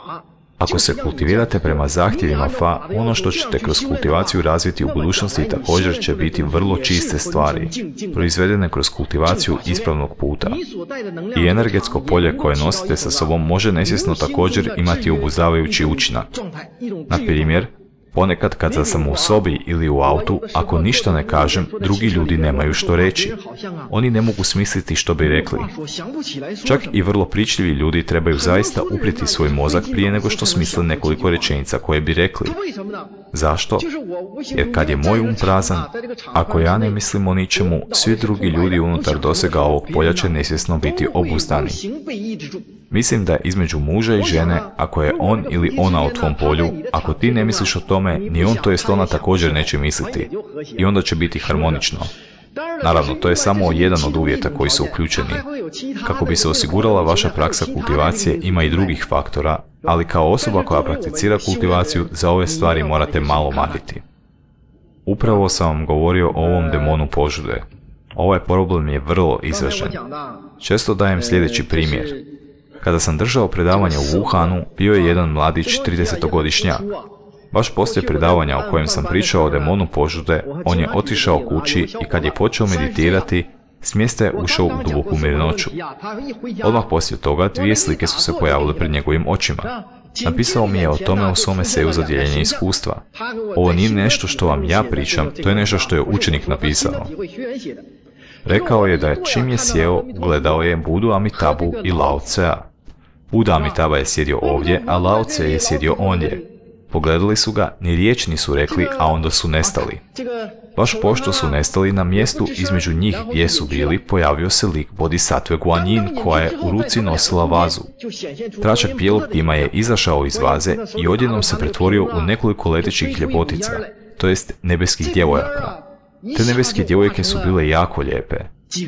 Ako se kultivirate prema zahtjevima fa, ono što ćete kroz kultivaciju razviti u budućnosti također će biti vrlo čiste stvari, proizvedene kroz kultivaciju ispravnog puta. I energetsko polje koje nosite sa sobom može nesvjesno također imati obuzdavajući učinak. Na primjer, ponekad kad sam u sobi ili u autu, ako ništa ne kažem, drugi ljudi nemaju što reći. Oni ne mogu smisliti što bi rekli. Čak i vrlo pričljivi ljudi trebaju zaista upriti svoj mozak prije nego što smisle nekoliko rečenica koje bi rekli. Zašto? Jer kad je moj um prazan, ako ja ne mislim o ničemu, svi drugi ljudi unutar dosega ovog polja će nesvjesno biti obuzdani. Mislim da između muža i žene, ako je on ili ona u tvom polju, ako ti ne misliš o tome, ni on to jest ona također neće misliti. I onda će biti harmonično. Naravno, to je samo jedan od uvjeta koji su uključeni. Kako bi se osigurala vaša praksa kultivacije, ima i drugih faktora, ali kao osoba koja prakticira kultivaciju za ove stvari morate malo mariti. Upravo sam vam govorio o ovom demonu požude. Ovaj problem je vrlo izražen. Često dajem sljedeći primjer. Kada sam držao predavanje u Wuhanu, bio je jedan mladić tridesetogodišnjak. Baš poslije predavanja o kojem sam pričao o demonu požude, on je otišao kući i kad je počeo meditirati, s mjesta je ušao u duboku mirnoću. Odmah poslije toga dvije slike su se pojavile pred njegovim očima. Napisao mi je o tome u svom eseju za dijeljenje iskustva. Ovo nije nešto što vam ja pričam, to je nešto što je učenik napisao. Rekao je da je čim je sjeo, gledao je Budu Amitabhu i Lao Tsea. Buda Amitabha je sjedio ovdje, a Lao Tse je sjedio ondje. Pogledali su ga, ni riječ nisu rekli, a onda su nestali. Baš pošto su nestali, na mjestu između njih gdje su bili, pojavio se lik Bodhisattve Guanyin koja je u ruci nosila vazu. Tračak bijelog tima je izašao iz vaze i odjednom se pretvorio u nekoliko letećih ljepotica, to jest nebeskih djevojaka. Te nebeske djevojke su bile jako lijepe.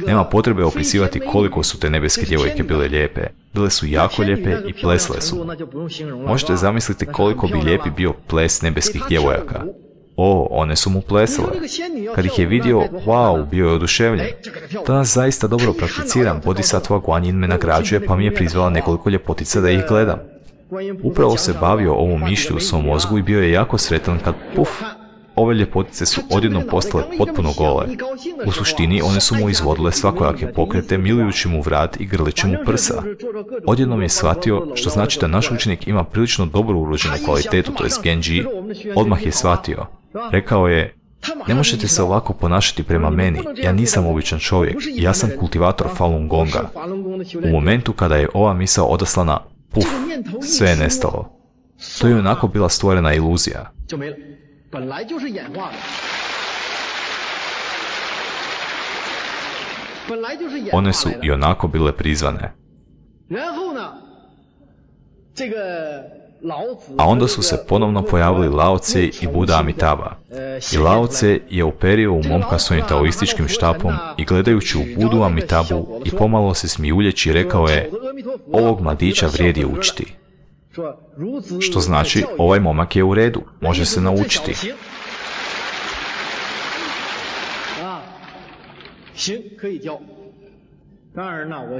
Nema potrebe opisivati koliko su te nebeske djevojke bile lijepe. Bile su jako lijepe i plesle su. Možete zamisliti koliko bi lijepi bio ples nebeskih djevojaka. O, one su mu plesale. Kad ih je vidio, wow, bio je oduševljen. Danas zaista dobro prakticiram, Bodhisattva Guanyin me nagrađuje pa mi je prizvala nekoliko ljepotica da ih gledam. Upravo se bavio ovom mišlju u svom mozgu i bio je jako sretan kad, puf, ove ljepotice su odjednom postale potpuno gole. U suštini one su mu izvodile svakojake pokrete, milujući mu vrat i grleći mu prsa. Odjednom je shvatio, što znači da naš učenik ima prilično dobro urođenu kvalitetu, to je Genji. Odmah je shvatio. Rekao je, ne možete se ovako ponašati prema meni, ja nisam običan čovjek, ja sam kultivator Falun Gonga. U momentu kada je ova misao odaslana, puf, sve je nestalo. To je onako bila stvorena iluzija. One su i onako bile prizvane. A onda su se ponovno pojavili Lao Tse i Buda Amitabha. I Lao Tse je uperio u momka svojim taoističkim štapom i gledajući u Budu Amitabhu i pomalo se smijuljeći rekao je, ovog mladića vrijedi učiti. Što znači, ovaj momak je u redu, može se naučiti.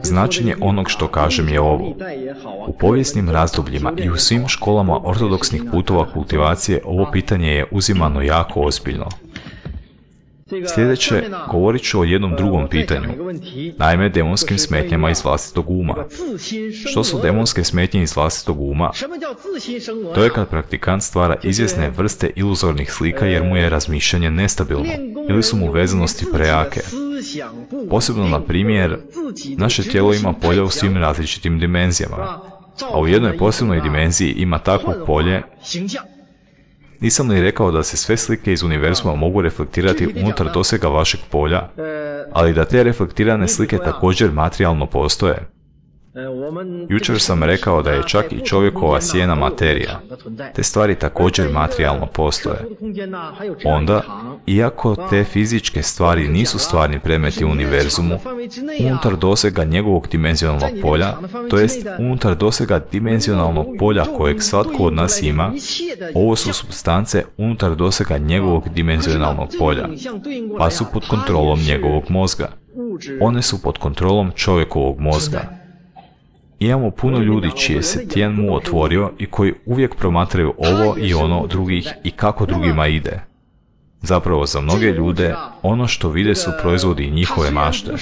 Značenje onog što kažem je ovo. U povijesnim razdobljima i u svim školama ortodoksnih putova kultivacije ovo pitanje je uzimano jako ozbiljno. Sljedeće, govorit ću o jednom drugom pitanju, naime demonskim smetnjama iz vlastitog uma. Što su demonske smetnje iz vlastitog uma? To je kad praktikant stvara izvjesne vrste iluzornih slika jer mu je razmišljanje nestabilno ili su mu vezanosti prejake. Posebno, na primjer, naše tijelo ima polja u svim različitim dimenzijama, a u jednoj posebnoj dimenziji ima takvo polje. Nisam li rekao da se sve slike iz univerzuma mogu reflektirati unutar dosega vašeg polja, ali da te reflektirane slike također materijalno postoje? Jučer sam rekao da je čak i čovjekova sjena materija. Te stvari također materijalno postoje. Onda, iako te fizičke stvari nisu stvarni predmeti u univerzumu, unutar dosega njegovog dimenzionalnog polja, to jest unutar dosega dimenzionalnog polja kojeg svatko od nas ima, ovo su supstance unutar dosega njegovog dimenzionalnog polja, pa su pod kontrolom njegovog mozga. One su pod kontrolom čovjekovog mozga. Imamo puno ljudi čije se tijen mu otvorio i koji uvijek promatraju ovo i ono drugih i kako drugima ide. Zapravo za mnoge ljude, ono što vide su proizvodi njihove mašte.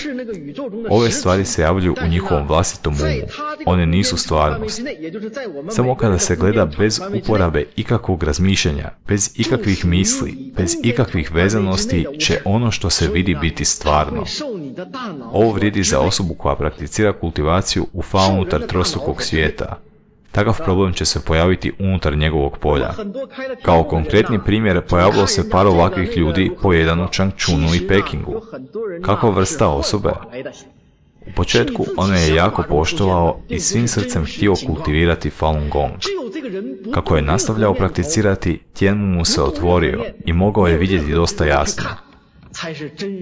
Ove stvari se javljaju u njihovom vlastitom umu. One nisu stvarnost. Samo kada se gleda bez uporabe ikakvog razmišljanja, bez ikakvih misli, bez ikakvih vezanosti, će ono što se vidi biti stvarno. Ovo vrijedi za osobu koja prakticira kultivaciju u fa unutar trostrukog svijeta. Takav problem će se pojaviti unutar njegovog polja. Kao konkretni primjer, pojavilo se par ovakvih ljudi po jedan u Changchunu i Pekingu. Kakva vrsta osobe? U početku on je jako poštovao i svim srcem htio kultivirati Falun Gong. Kako je nastavljao prakticirati, tijen mu se otvorio i mogao je vidjeti dosta jasno.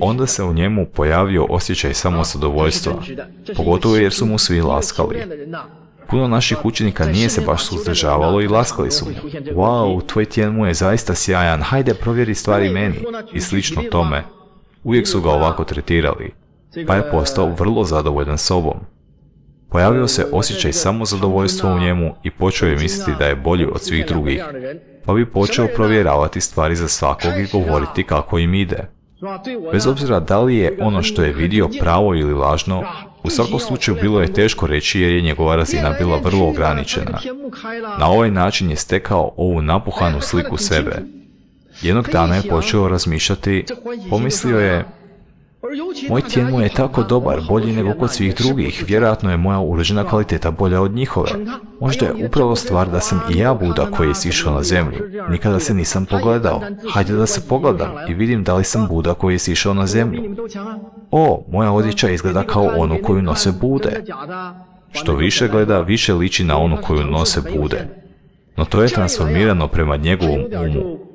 Onda se u njemu pojavio osjećaj samozadovoljstva, pogotovo jer su mu svi laskali. Puno naših učenika nije se baš suzdržavalo i laskali su mu. Wow, tvoj Tianmu je zaista sjajan, hajde provjeri stvari meni. I slično tome. Uvijek su ga ovako tretirali, pa je postao vrlo zadovoljan sobom. Pojavio se osjećaj samozadovoljstva u njemu i počeo je misliti da je bolji od svih drugih, pa bi počeo provjeravati stvari za svakog i govoriti kako im ide. Bez obzira da li je ono što je vidio pravo ili lažno, u svakom slučaju bilo je teško reći jer je njegova razina bila vrlo ograničena. Na ovaj način je stekao ovu napuhanu sliku sebe. Jednog dana je počeo razmišljati, pomislio je, moj Tianmu je tako dobar, bolji nego kod svih drugih, vjerojatno je moja urođena kvaliteta bolja od njihove. Možda je upravo stvar da sam i ja Buda koji je sišao na zemlju. Nikada se nisam pogledao. Hajde da se pogledam i vidim da li sam Buda koji je sišao na zemlju. O, moja odjeća izgleda kao onu koju nose Bude. Što više gleda, više liči na onu koju nose Bude. No to je transformirano prema njegovom umu.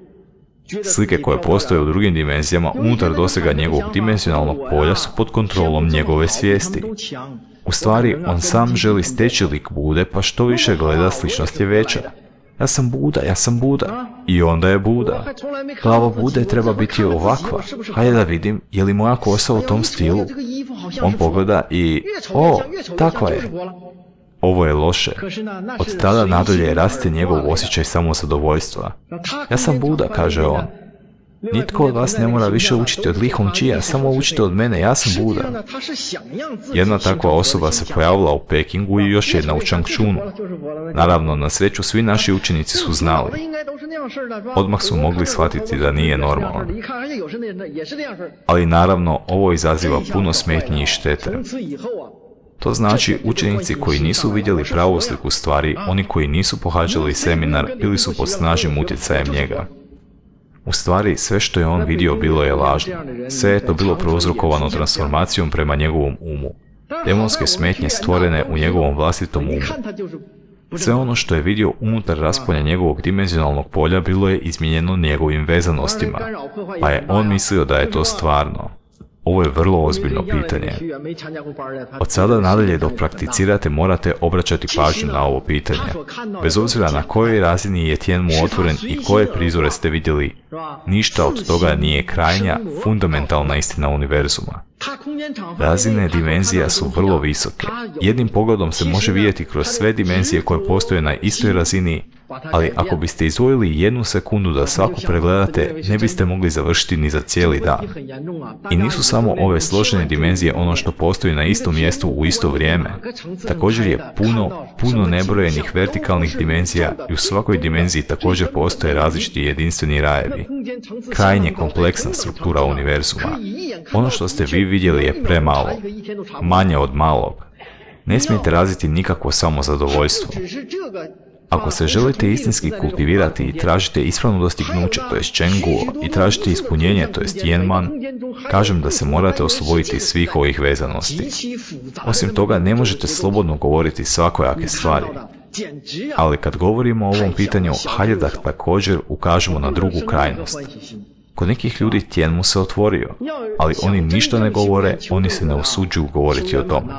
Slike koje postoje u drugim dimenzijama unutar dosega njegovog dimenzionalnog polja su pod kontrolom njegove svijesti. U stvari, on sam želi steći lik Bude, pa što više gleda, sličnost je veća. Ja sam Buda, ja sam Buda. I onda je Buda. Glava Bude treba biti ovakva. Hajde da vidim, je li moja kosa u tom stilu? On pogleda i... O, takva je. Ovo je loše. Od tada nadalje raste njegov osjećaj samozadovoljstva. Ja sam Buda, kaže on. Nitko od vas ne mora više učiti od Li Hongqija, samo učite od mene, ja sam Buda. Jedna takva osoba se pojavila u Pekingu i još jedna u Changchunu. Naravno, na sreću svi naši učenici su znali. Odmah su mogli shvatiti da nije normalan. Ali naravno, ovo izaziva puno smetnji i štete. To znači učenici koji nisu vidjeli pravu sliku stvari, oni koji nisu pohađali seminar ili su pod snažnim utjecajem njega. U stvari, sve što je on vidio bilo je lažno. Sve je to bilo prouzrokovano transformacijom prema njegovom umu. Demonske smetnje stvorene u njegovom vlastitom umu. Sve ono što je vidio unutar raspolja njegovog dimenzionalnog polja bilo je izmijenjeno njegovim vezanostima, pa je on mislio da je to stvarno. Ovo je vrlo ozbiljno pitanje. Od sada nadalje dok prakticirate morate obraćati pažnju na ovo pitanje. Bez obzira na kojoj razini je Tianmu otvoren i koje prizore ste vidjeli, ništa od toga nije krajnja, fundamentalna istina univerzuma. Razine dimenzija su vrlo visoke. Jednim pogledom se može vidjeti kroz sve dimenzije koje postoje na istoj razini, ali ako biste izdvojili jednu sekundu da svaku pregledate, ne biste mogli završiti ni za cijeli dan. I nisu samo ove složene dimenzije ono što postoji na istom mjestu u isto vrijeme. Također je puno, puno nebrojenih vertikalnih dimenzija i u svakoj dimenziji također postoje različiti jedinstveni rajevi. Krajnje kompleksna struktura univerzuma. Ono što ste vi vidjeli je premalo, manje od malog. Ne smijete razviti nikakvo samozadovoljstvo. Ako se želite istinski kultivirati i tražite ispravno dostignuće, to jest Chengguo, i tražite ispunjenje, to jest Tianman, kažem da se morate osloboditi svih ovih vezanosti. Osim toga, ne možete slobodno govoriti svakojake stvari. Ali kad govorimo o ovom pitanju, hajde da također ukažemo na drugu krajnost. Kod nekih ljudi Tianmu se otvorio, ali oni ništa ne govore, oni se ne usuđuju govoriti o tome.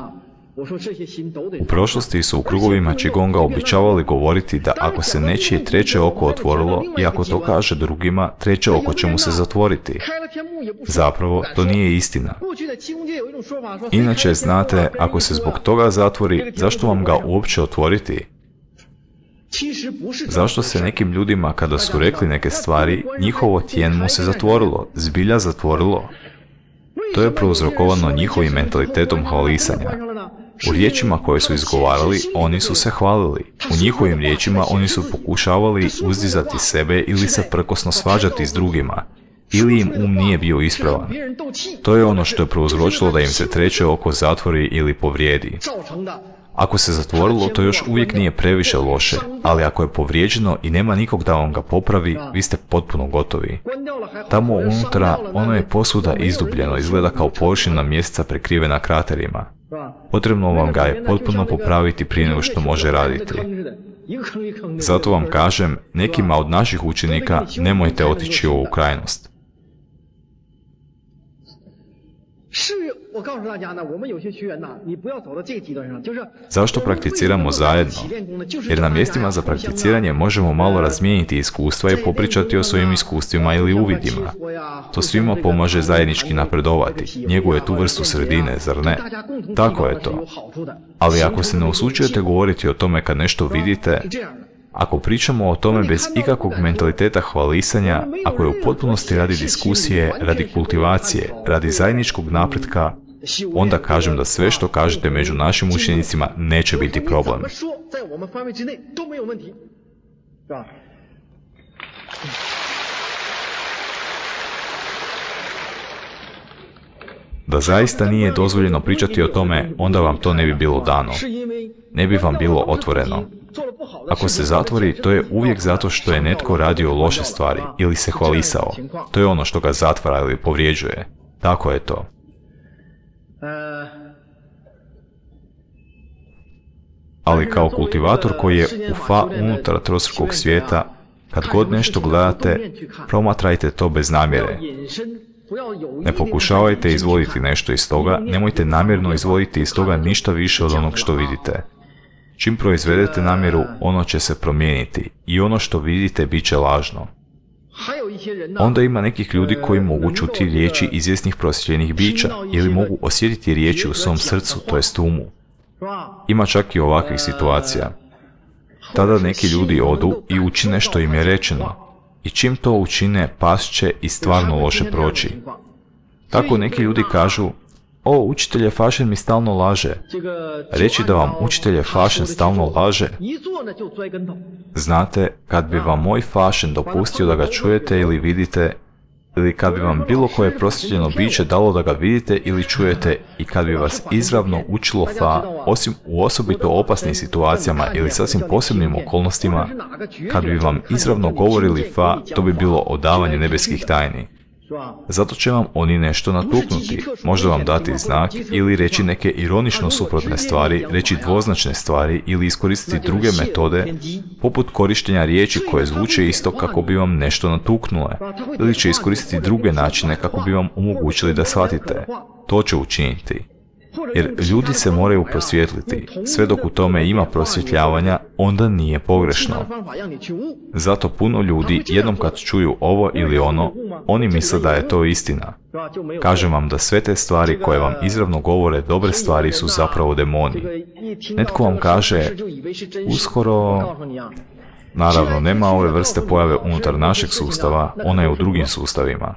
U prošlosti su u krugovima Qigonga običavali govoriti da ako se nečije treće oko otvorilo i ako to kaže drugima, treće oko će mu se zatvoriti. Zapravo, to nije istina. Inače, znate, ako se zbog toga zatvori, zašto vam ga uopće otvoriti? Zašto se nekim ljudima, kada su rekli neke stvari, njihovo Tianmu se zatvorilo, zbilja zatvorilo? To je prouzrokovano njihovim mentalitetom hvalisanja. U riječima koje su izgovarali, oni su se hvalili. U njihovim riječima oni su pokušavali uzdizati sebe ili se prkosno svađati s drugima. Ili im um nije bio ispravan. To je ono što je prouzročilo da im se treće oko zatvori ili povrijedi. Ako se zatvorilo, to još uvijek nije previše loše, ali ako je povrijeđeno i nema nikog da vam ga popravi, vi ste potpuno gotovi. Tamo unutra, ono je posvuda izdubljeno, izgleda kao površina mjeseca prekrivena kraterima. Potrebno vam ga je potpuno popraviti prije nego što može raditi. Zato vam kažem, nekima od naših učenika nemojte otići u ovu krajnost. Zašto prakticiramo zajedno? Jer na mjestima za prakticiranje možemo malo razmijeniti iskustva i popričati o svojim iskustvima ili uvidima. To svima pomaže zajednički napredovati. Njeguje tu vrstu sredine, zar ne? Tako je to. Ali ako se ne usuđujete govoriti o tome kad nešto vidite, ako pričamo o tome bez ikakvog mentaliteta hvalisanja, ako je u potpunosti radi diskusije, radi kultivacije, radi zajedničkog napretka, onda kažem da sve što kažete među našim učenicima neće biti problem. Da zaista nije dozvoljeno pričati o tome, onda vam to ne bi bilo dano. Ne bi vam bilo otvoreno. Ako se zatvori, to je uvijek zato što je netko radio loše stvari ili se hvalisao. To je ono što ga zatvara ili povrijeđuje. Tako je to. Ali kao kultivator koji je u fa unutar trostrukog svijeta, kad god nešto gledate, promatrajte to bez namjere. Ne pokušavajte izvoditi nešto iz toga, nemojte namjerno izvoditi iz toga ništa više od onog što vidite. Čim proizvedete namjeru, ono će se promijeniti i ono što vidite bit će lažno. Onda ima nekih ljudi koji mogu čuti riječi izvjesnih prosvjetljenih bića ili mogu osjetiti riječi u svom srcu, to jest umu. Ima čak i ovakvih situacija. Tada neki ljudi odu i učine što im je rečeno. I čim to učine, pas će i stvarno loše proći. Tako neki ljudi kažu, o, učitelj Fašen mi stalno laže. Reći da vam učitelj Fašen stalno laže, znate, kad bi vam moj Fašen dopustio da ga čujete ili vidite, ili kad bi vam bilo koje prosvjetljeno biće dalo da ga vidite ili čujete i kad bi vas izravno učilo fa, osim u osobito opasnim situacijama ili sasvim posebnim okolnostima, kad bi vam izravno govorili fa, to bi odavanje odavanje nebeskih tajni. Zato će vam oni nešto natuknuti, možda vam dati znak ili reći neke ironično suprotne stvari, reći dvoznačne stvari ili iskoristiti druge metode, poput korištenja riječi koje zvuče isto kako bi vam nešto natuknule, ili će iskoristiti druge načine kako bi vam omogućili da shvatite. To će učiniti. Jer ljudi se moraju prosvjetliti. Sve dok u tome ima prosvjetljavanja, onda nije pogrešno. Zato puno ljudi, jednom kad čuju ovo ili ono, oni misle da je to istina. Kažem vam da sve te stvari koje vam izravno govore dobre stvari su zapravo demoni. Netko vam kaže, uskoro... Naravno, nema ove vrste pojave unutar našeg sustava, ona je u drugim sustavima.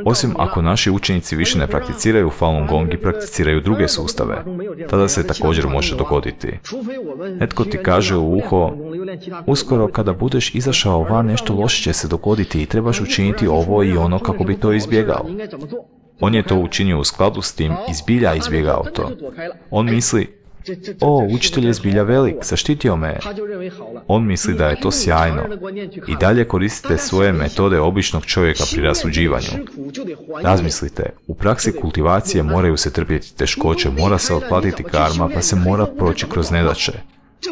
Osim ako naši učenici više ne prakticiraju Falun Gong i prakticiraju druge sustave, tada se također može dogoditi. Netko ti kaže u uho, uskoro kada budeš izašao van nešto loše će se dogoditi i trebaš učiniti ovo i ono kako bi to izbjegao. On je to učinio u skladu s tim i zbilja izbjegao to. On misli, o, učitelj je zbilja velik, zaštitio me. On misli da je to sjajno. I dalje koristite svoje metode običnog čovjeka pri rasuđivanju. Razmislite, u praksi kultivacije moraju se trpjeti teškoće, mora se otplatiti karma, pa se mora proći kroz nedaće.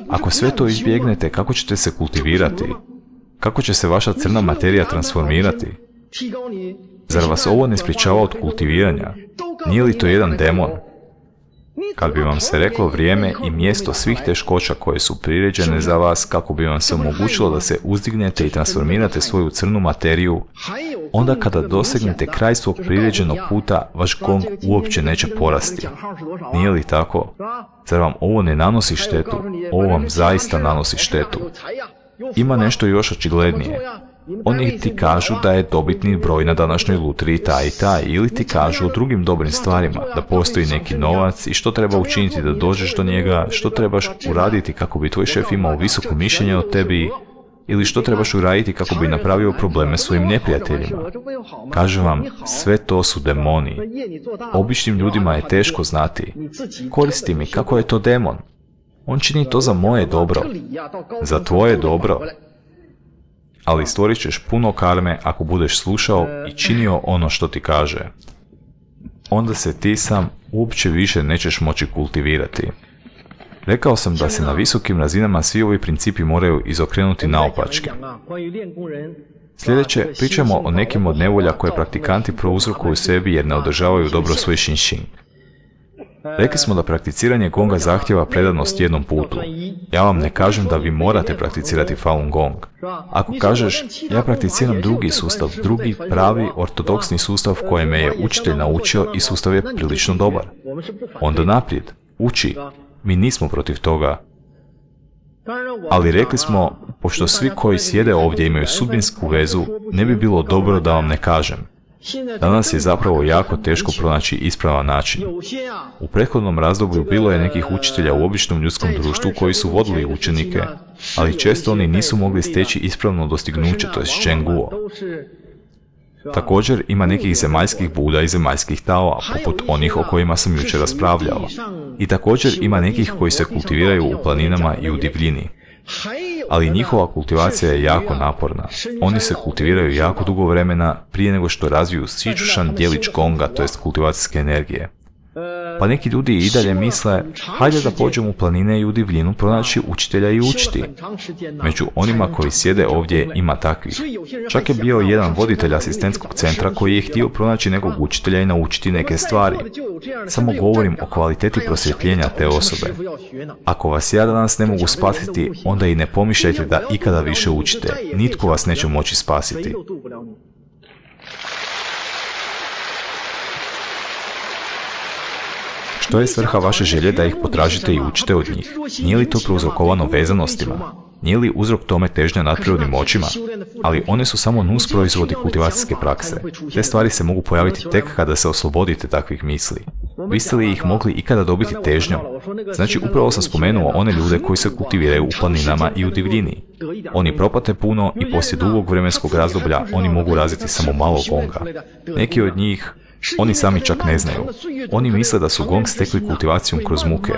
Ako sve to izbjegnete, kako ćete se kultivirati? Kako će se vaša crna materija transformirati? Zar vas ovo ne sprječava od kultiviranja? Nije li to jedan demon? Kad bi vam se reklo vrijeme i mjesto svih teškoća koje su priređene za vas kako bi vam se omogućilo da se uzdignete i transformirate svoju crnu materiju, onda kada dosegnete kraj svog priređenog puta, vaš gong uopće neće porasti. Nije li tako? Zar vam ovo ne nanosi štetu? Ovo vam zaista nanosi štetu. Ima nešto još očiglednije. Oni ti kažu da je dobitni broj na današnjoj lutriji taj i taj, ili ti kažu o drugim dobrim stvarima, da postoji neki novac i što treba učiniti da dođeš do njega, što trebaš uraditi kako bi tvoj šef imao visoko mišljenje o tebi, ili što trebaš uraditi kako bi napravio probleme svojim neprijateljima. Kažem vam, sve to su demoni. Običnim ljudima je teško znati. Koristi mi, kako je to demon? On čini to za moje dobro. Za tvoje dobro. Ali stvorit ćeš puno karme ako budeš slušao i činio ono što ti kaže. Onda se ti sam uopće više nećeš moći kultivirati. Rekao sam da se na visokim razinama svi ovi principi moraju izokrenuti naopačke. Sljedeće, pričamo o nekim od nevolja koje praktikanti prouzrokuju sebi jer ne održavaju dobro svoj Shinshin. Rekli smo da prakticiranje gonga zahtjeva predanost jednom putu. Ja vam ne kažem da vi morate prakticirati Falun Gong. Ako kažeš, ja prakticiram drugi sustav, drugi pravi ortodoksni sustav koje me je učitelj naučio i sustav je prilično dobar, onda naprijed, uči. Mi nismo protiv toga. Ali rekli smo, pošto svi koji sjede ovdje imaju sudbinsku vezu, ne bi bilo dobro da vam ne kažem. Danas je zapravo jako teško pronaći ispravan način. U prethodnom razdoblju bilo je nekih učitelja u običnom ljudskom društvu koji su vodili učenike, ali često oni nisu mogli steći ispravno dostignuće, to je Zhenguo. Također ima nekih zemaljskih Buda i zemaljskih Taoa, poput onih o kojima sam jučer raspravljao. I također ima nekih koji se kultiviraju u planinama i u divljini. Ali njihova kultivacija je jako naporna. Oni se kultiviraju jako dugo vremena prije nego što razviju Sichuan djelić gonga, to jest kultivacijske energije. Pa neki ljudi i dalje misle, hajde da pođemo u planine i u divljinu pronaći učitelja i učiti. Među onima koji sjede ovdje ima takvih. Čak je bio jedan voditelj asistentskog centra koji je htio pronaći nekog učitelja i naučiti neke stvari. Samo govorim o kvaliteti prosvjetljenja te osobe. Ako vas ja danas ne mogu spasiti, onda i ne pomišljajte da ikada više učite. Nitko vas neće moći spasiti. Što je svrha vaše želje da ih potražite i učite od njih? Nije li to prouzrokovano vezanostima? Nije li uzrok tome težnja nadprirodnim moćima? Ali one su samo nus proizvodi kultivacijske prakse. Te stvari se mogu pojaviti tek kada se oslobodite takvih misli. Biste li ih mogli ikada dobiti težnjom? Znači, upravo sam spomenuo one ljude koji se kultiviraju u planinama i u divljini. Oni propate puno i poslije dugog vremenskog razdoblja oni mogu razviti samo malo gonga. Neki od njih oni sami čak ne znaju. Oni misle da su gong stekli kultivacijom kroz muke.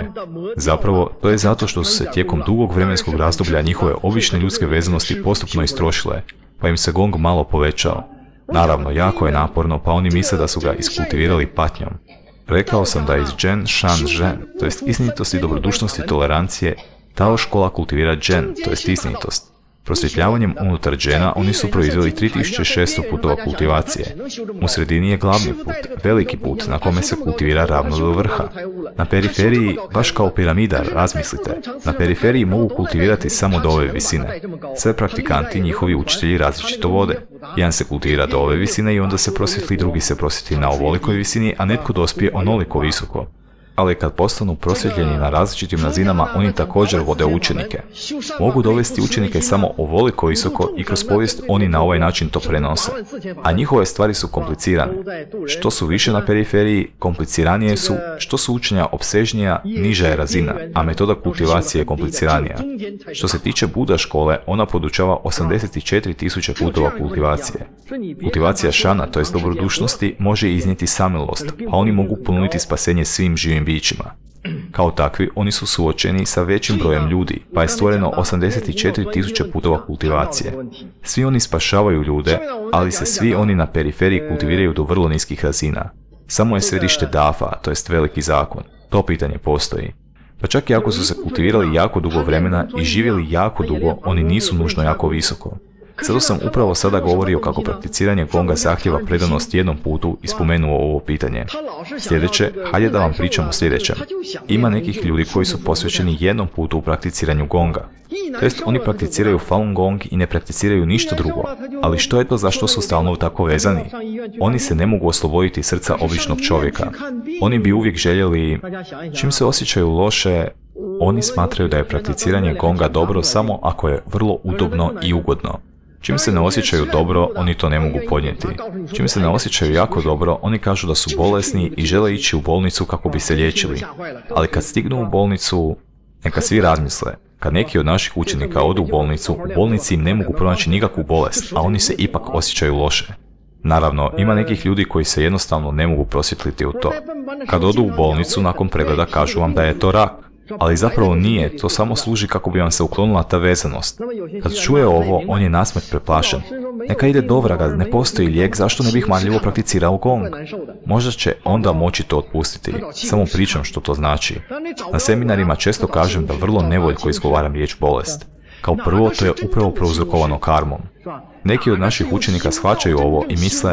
Zapravo, to je zato što su se tijekom dugog vremenskog razdoblja njihove obične ljudske vezanosti postupno istrošile, pa im se gong malo povećao. Naravno, jako je naporno, pa oni misle da su ga iskultivirali patnjom. Rekao sam da iz Zhen, Shan, Zhen, to jest istinitosti, dobrodušnosti, tolerancije, Tao škola kultivira Zhen, to jest istinitost. Prosvjetljavanjem unutar Zhena oni su proizveli tri tisuće šesto putova kultivacije. U sredini je glavni put, veliki put na kome se kultivira ravno do vrha. Na periferiji, baš kao piramida, razmislite, na periferiji mogu kultivirati samo do ove visine. Sve praktikanti, njihovi učitelji različito vode. Jedan se kultivira do ove visine i onda se prosvjetli, drugi se prosvjetli na ovolikoj visini, a netko dospije onoliko visoko. Ali kad postanu prosvjetljeni na različitim razinama, oni također vode učenike. Mogu dovesti učenike samo ovoliko visoko i kroz povijest oni na ovaj način to prenose. A njihove stvari su komplicirane. Što su više na periferiji, kompliciranije su, što su učenja opsežnija, niža je razina, a metoda kultivacije je kompliciranija. Što se tiče Buda škole, ona podučava osamdeset četiri tisuće putova kultivacije. Kultivacija šana, to jest dobrodušnosti, može iznijeti samilost, pa oni mogu ponuditi spasenje svim živim bićima. Kao takvi, oni su suočeni sa većim brojem ljudi, pa je stvoreno osamdeset četiri tisuće putova kultivacije. Svi oni spašavaju ljude, ali se svi oni na periferiji kultiviraju do vrlo niskih razina. Samo je središte Dafa, to jest veliki zakon. To pitanje postoji. Pa čak i ako su se kultivirali jako dugo vremena i živjeli jako dugo, oni nisu nužno jako visoko. Zato sam upravo sada govorio kako prakticiranje gonga zahtjeva predanost jednom putu i spomenuo ovo pitanje. Sljedeće, hajde da vam pričam o sljedećem. Ima nekih ljudi koji su posvećeni jednom putu u prakticiranju gonga. To jest, oni prakticiraju Falun Gong i ne prakticiraju ništa drugo. Ali što je to zašto su stalno tako vezani? Oni se ne mogu osloboditi srca običnog čovjeka. Oni bi uvijek željeli, čim se osjećaju loše, oni smatraju da je prakticiranje gonga dobro samo ako je vrlo udobno i ugodno. Čim se ne osjećaju dobro, oni to ne mogu podnijeti. Čim se ne osjećaju jako dobro, oni kažu da su bolesni i žele ići u bolnicu kako bi se liječili. Ali kad stignu u bolnicu, neka svi razmisle. Kad neki od naših učenika odu u bolnicu, u bolnici im ne mogu pronaći nikakvu bolest, a oni se ipak osjećaju loše. Naravno, ima nekih ljudi koji se jednostavno ne mogu prosvjetliti u to. Kad odu u bolnicu, nakon pregleda kažu vam da je to rak. Ali zapravo nije, to samo služi kako bi vam se uklonila ta vezanost. Kad čuje ovo, on je nasmet preplašen. Neka ide do vraga, ne postoji lijek, zašto ne bih marljivo prakticirao gong? Možda će onda moći to otpustiti, samo pričam što to znači. Na seminarima često kažem da vrlo nevoljko izgovaram riječ bolest. Kao prvo, to je upravo prouzrokovano karmom. Neki od naših učenika shvaćaju ovo i misle,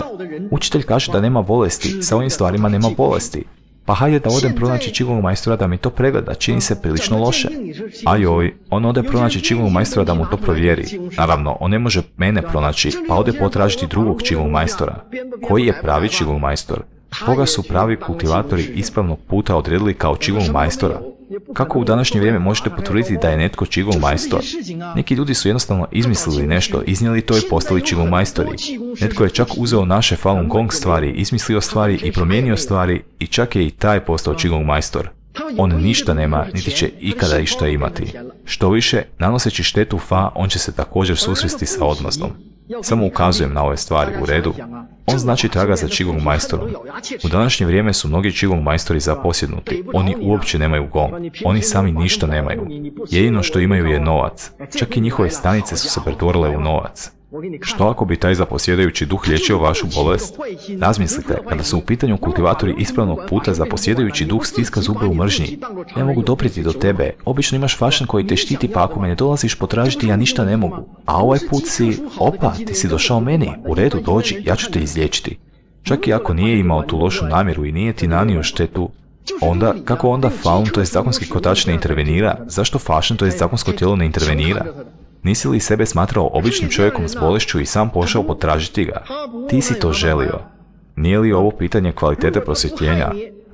učitelj kaže da nema bolesti, sa ovim stvarima nema bolesti. Pa hajde da odem pronaći Qigong majstora da mi to pregleda, čini se prilično loše. A joj, on ode pronaći Qigong majstora da mu to provjeri. Naravno, on ne može mene pronaći, pa ode potražiti drugog Qigong majstora. Koji je pravi Qigong majstor? Koga su pravi kultivatori ispravnog puta odredili kao Qigong majstora? Kako u današnje vrijeme možete potvrditi da je netko Qigong majstor? Neki ljudi su jednostavno izmislili nešto, iznijeli to i postali Qigong majstori. Netko je čak uzeo naše Falun Gong stvari, izmislio stvari i promijenio stvari i čak je i taj postao Qigong majstor. On ništa nema, niti će ikada išta imati. Što više, nanoseći štetu Fa, on će se također susresti sa odmazdom. Samo ukazujem na ove stvari, u redu. On znači traga za Qigong majstorom. U današnje vrijeme su mnogi Qigong majstori zaposjednuti. Oni uopće nemaju gong. Oni sami ništa nemaju. Jedino što imaju je novac. Čak i njihove stanice su se pretvorile u novac. Što ako bi taj zaposjedajući duh liječio vašu bolest? Razmislite, kada su u pitanju kultivatori ispravnog puta, zaposjedajući duh stiska zube u mržnji. Ne mogu doprijeti do tebe, obično imaš fašan koji te štiti, pa ako me ne dolaziš potražiti, ja ništa ne mogu. A ovaj put si, opa, ti si došao meni, u redu, dođi, ja ću te izliječiti. Čak i ako nije imao tu lošu namjeru i nije ti nanio štetu, onda, kako onda Falun, to je zakonski kotač, ne intervenira? Zašto fašan, to je zakonsko tijelo, ne intervenira? Nisi li sebe smatrao običnim čovjekom s bolešću i sam pošao potražiti ga? Ti si to želio. Nije li ovo pitanje kvalitete prosvjetljenja?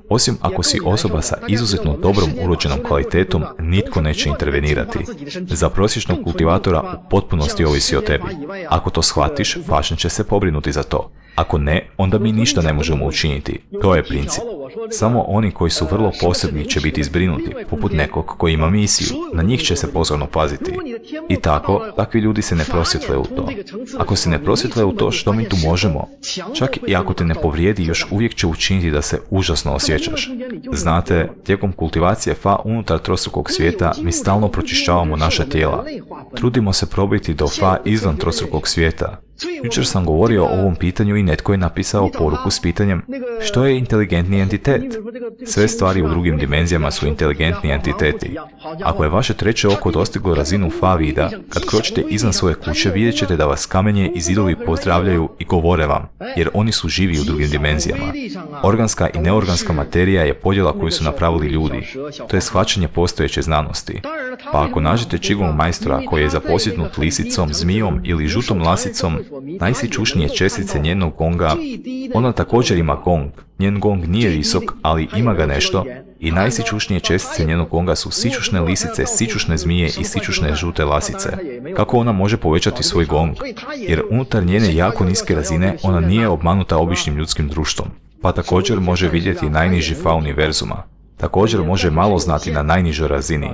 Osim ako si osoba sa izuzetno dobrom urođenom kvalitetom, nitko neće intervenirati. Za prosječnog kultivatora u potpunosti ovisi o tebi. Ako to shvatiš, fašan će se pobrinuti za to. Ako ne, onda mi ništa ne možemo učiniti. To je princip. Samo oni koji su vrlo posebni će biti zbrinuti, poput nekog koji ima misiju. Na njih će se pozorno paziti. I tako, takvi ljudi se ne prosvjetle u to. Ako se ne prosvjetle u to, što mi tu možemo? Čak i ako te ne povrijedi, još uvijek će učiniti da se užasno osjećaš. Znate, tijekom kultivacije Fa unutar trostrukog svijeta mi stalno pročišćavamo naša tijela. Trudimo se probiti do Fa izvan trostrukog svijeta. Jučer sam govorio o ovom pitanju i netko je napisao poruku s pitanjem što je inteligentni entitet. Sve stvari u drugim dimenzijama su inteligentni entiteti. Ako je vaše treće oko dostiglo razinu Fa vida, kad kročite izvan svoje kuće vidjet ćete da vas kamenje i zidovi pozdravljaju i govore vam, jer oni su živi u drugim dimenzijama. Organska i neorganska materija je podjela koju su napravili ljudi. To je shvaćanje postojeće znanosti. Pa ako nađete Qigong majstora koji je zaposjednut lisicom, zmijom ili žutom lasicom, najsičušnije čestice njenog gonga, ona također ima gong. Njen gong nije visok, ali ima ga nešto, i najsičušnije čestice njenog gonga su sičušne lisice, sičušne zmije i sičušne žute lasice. Kako ona može povećati svoj gong? Jer unutar njene jako niske razine ona nije obmanuta običnim ljudskim društvom, pa također može vidjeti najniži Fa univerzuma. Također može malo znati na najnižoj razini.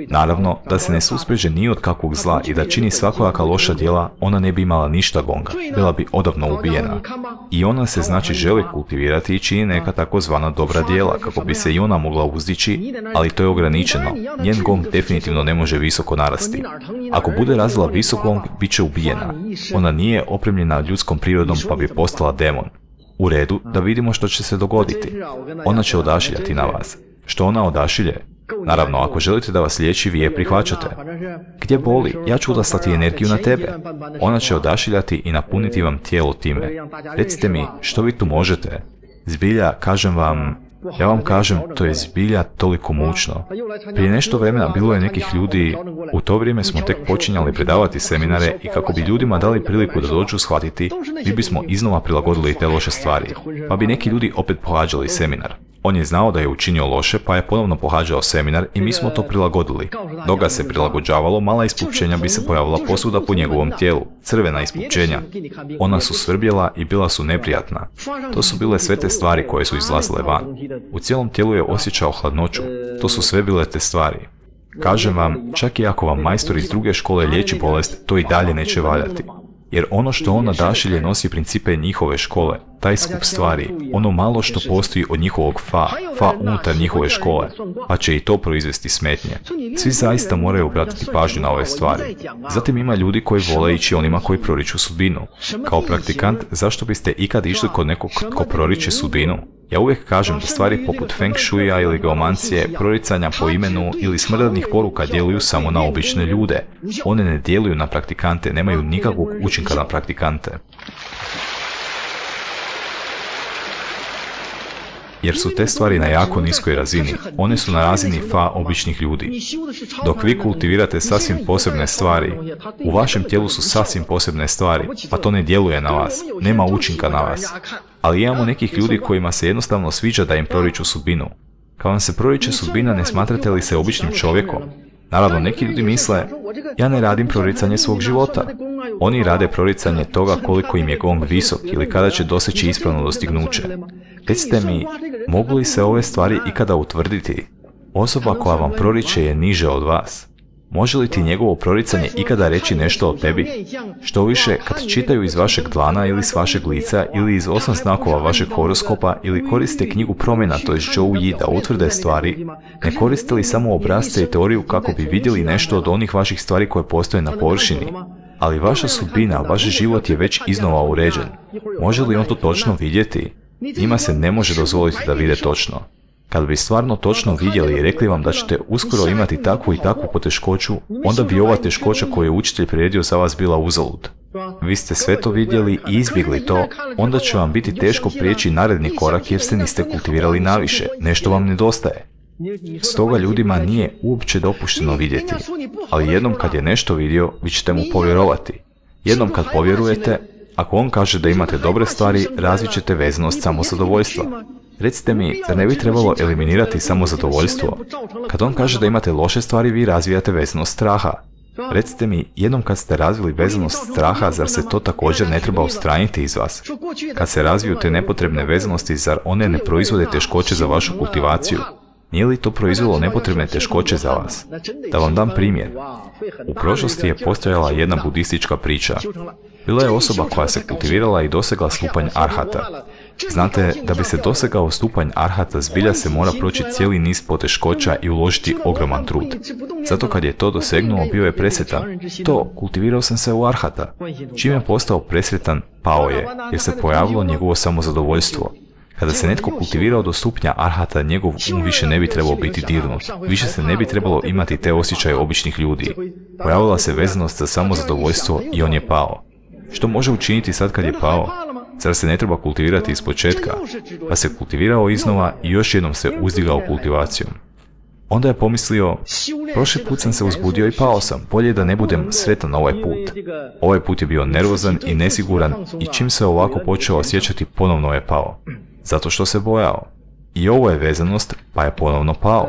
Naravno, da se ne suspreže ni od kakvog zla i da čini svakojaka loša djela, ona ne bi imala ništa gonga, bila bi odavno ubijena. I ona se znači želi kultivirati i čini neka takozvana dobra djela, kako bi se i ona mogla uzdići, ali to je ograničeno. Njen gong definitivno ne može visoko narasti. Ako bude razvila visok gong, bit će ubijena. Ona nije opremljena ljudskom prirodom pa bi postala demon. U redu, da vidimo što će se dogoditi. Ona će odašiljati na vas. Što ona odašilje? Naravno, ako želite da vas liječi, vi je prihvaćate. Gdje boli? Ja ću odaslati energiju na tebe. Ona će odašiljati i napuniti vam tijelo time. Recite mi, što vi tu možete? Zbilja, kažem vam, ja vam kažem, to je zbilja toliko mučno. Prije nešto vremena bilo je nekih ljudi, u to vrijeme smo tek počinjali predavati seminare i kako bi ljudima dali priliku da dođu shvatiti, mi bismo iznova prilagodili te loše stvari, pa bi neki ljudi opet pohađali seminar. On je znao da je učinio loše, pa je ponovno pohađao seminar i mi smo to prilagodili. Dok ga se prilagođavalo, mala ispupčenja bi se pojavila posuda po njegovom tijelu, crvena ispupčenja. Ona su svrbjela i bila su neprijatna. To su bile sve te stvari koje su izlazile van. U cijelom tijelu je osjećao hladnoću. To su sve bile te stvari. Kažem vam, čak i ako vam majstor iz druge škole liječi bolest, to i dalje neće valjati. Jer ono što on odašilje nosi principe njihove škole. taj skup stvari, ono malo što postoji od njihovog fa, fa unutar njihove škole, pa će i to proizvesti smetnje. Svi zaista moraju obratiti pažnju na ove stvari. Zatim ima ljudi koji vole ići onima koji proriču sudbinu. Kao praktikant, zašto biste ikad išli kod nekog ko proriče sudbinu? Ja uvijek kažem da stvari poput feng shuija ili geomancije, proricanja po imenu ili smrtnih poruka djeluju samo na obične ljude. One ne djeluju na praktikante, nemaju nikakvog učinka na praktikante. Jer su te stvari na jako niskoj razini. One su na razini fa običnih ljudi. Dok vi kultivirate sasvim posebne stvari, u vašem tijelu su sasvim posebne stvari, pa to ne djeluje na vas, nema učinka na vas. Ali imamo nekih ljudi kojima se jednostavno sviđa da im proriču sudbinu. Kad vam se proriče sudbina, ne smatrate li se običnim čovjekom? Naravno, neki ljudi misle, ja ne radim proricanje svog života. Oni rade proricanje toga koliko im je gong visok ili kada će doseći ispravno dostignuće. Recite mi, mogu li se ove stvari ikada utvrditi? Osoba koja vam proriče je niže od vas. Može li ti njegovo proricanje ikada reći nešto o tebi? Što više, kad čitaju iz vašeg dlana ili s vašeg lica ili iz osam znakova vašeg horoskopa ili koriste knjigu promjena, to je Zhou Yi, da utvrde stvari, ne koriste li samo obrasce i teoriju kako bi vidjeli nešto od onih vaših stvari koje postoje na površini? Ali vaša sudbina, vaš život je već iznova uređen. Može li on to točno vidjeti? Njima se ne može dozvoliti da vide točno. Kad bi stvarno točno vidjeli i rekli vam da ćete uskoro imati takvu i takvu poteškoću, onda bi ova teškoća koju je učitelj priredio za vas bila uzalud. Vi ste sve to vidjeli i izbjegli to, onda će vam biti teško prijeći naredni korak jer se niste kultivirali naviše, nešto vam nedostaje. Stoga ljudima nije uopće dopušteno vidjeti, ali jednom kad je nešto vidio, vi ćete mu povjerovati. Jednom kad povjerujete, ako on kaže da imate dobre stvari, razvit ćete vezanost samozadovoljstva. Recite mi, da ne bi trebalo eliminirati samozadovoljstvo? Kad on kaže da imate loše stvari, vi razvijate vezanost straha. Recite mi, jednom kad ste razvili vezanost straha, zar se to također ne treba odstraniti iz vas? Kad se razviju te nepotrebne vezanosti, zar one ne proizvode teškoće za vašu kultivaciju? Nije li to proizvelo nepotrebne teškoće za vas? Da vam dam primjer. U prošlosti je postojala jedna budistička priča. Bila je osoba koja se kultivirala i dosegla stupanj arhata. Znate, da bi se dosegao stupanj arhata, zbilja se mora proći cijeli niz poteškoća i uložiti ogroman trud. Zato kad je to dosegnuo, bio je presretan. To, kultivirao sam se u arhata. Čim je postao presretan, pao je, jer se pojavilo njegovo samozadovoljstvo. Kada se netko kultivirao do stupnja arhata, njegov um više ne bi trebao biti dirnut. Više se ne bi trebalo imati te osjećaje običnih ljudi. Pojavila se vezanost za samozadovoljstvo i on je pao. Što može učiniti sad kad je pao? Zar se ne treba kultivirati iz početka? Pa se kultivirao iznova i još jednom se uzdigao kultivacijom. Onda je pomislio, prošli put sam se uzbudio i pao sam, bolje da ne budem sretan ovaj put. Ovaj put je bio nervozan i nesiguran i čim se ovako počeo osjećati, ponovno je pao. Zato što se bojao. I ovo je vezanost, pa je ponovno pao.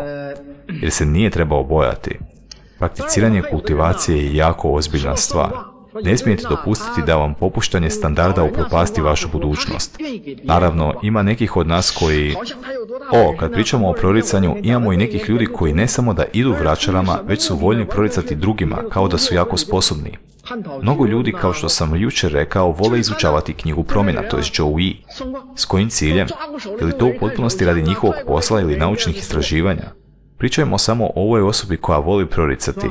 Jer se nije trebao bojati. Prakticiranje kultivacije je jako ozbiljna stvar. Ne smijete dopustiti da vam popuštanje standarda upropasti vašu budućnost. Naravno, ima nekih od nas koji... O, kad pričamo o proricanju, imamo i nekih ljudi koji ne samo da idu vračarama, već su voljni proricati drugima, kao da su jako sposobni. Mnogo ljudi, kao što sam jučer rekao, vole izučavati knjigu promjena, to je Zhou Yi. S kojim ciljem? Je li to u potpunosti radi njihovog posla ili naučnih istraživanja? Pričajmo samo o ovoj osobi koja voli proricati.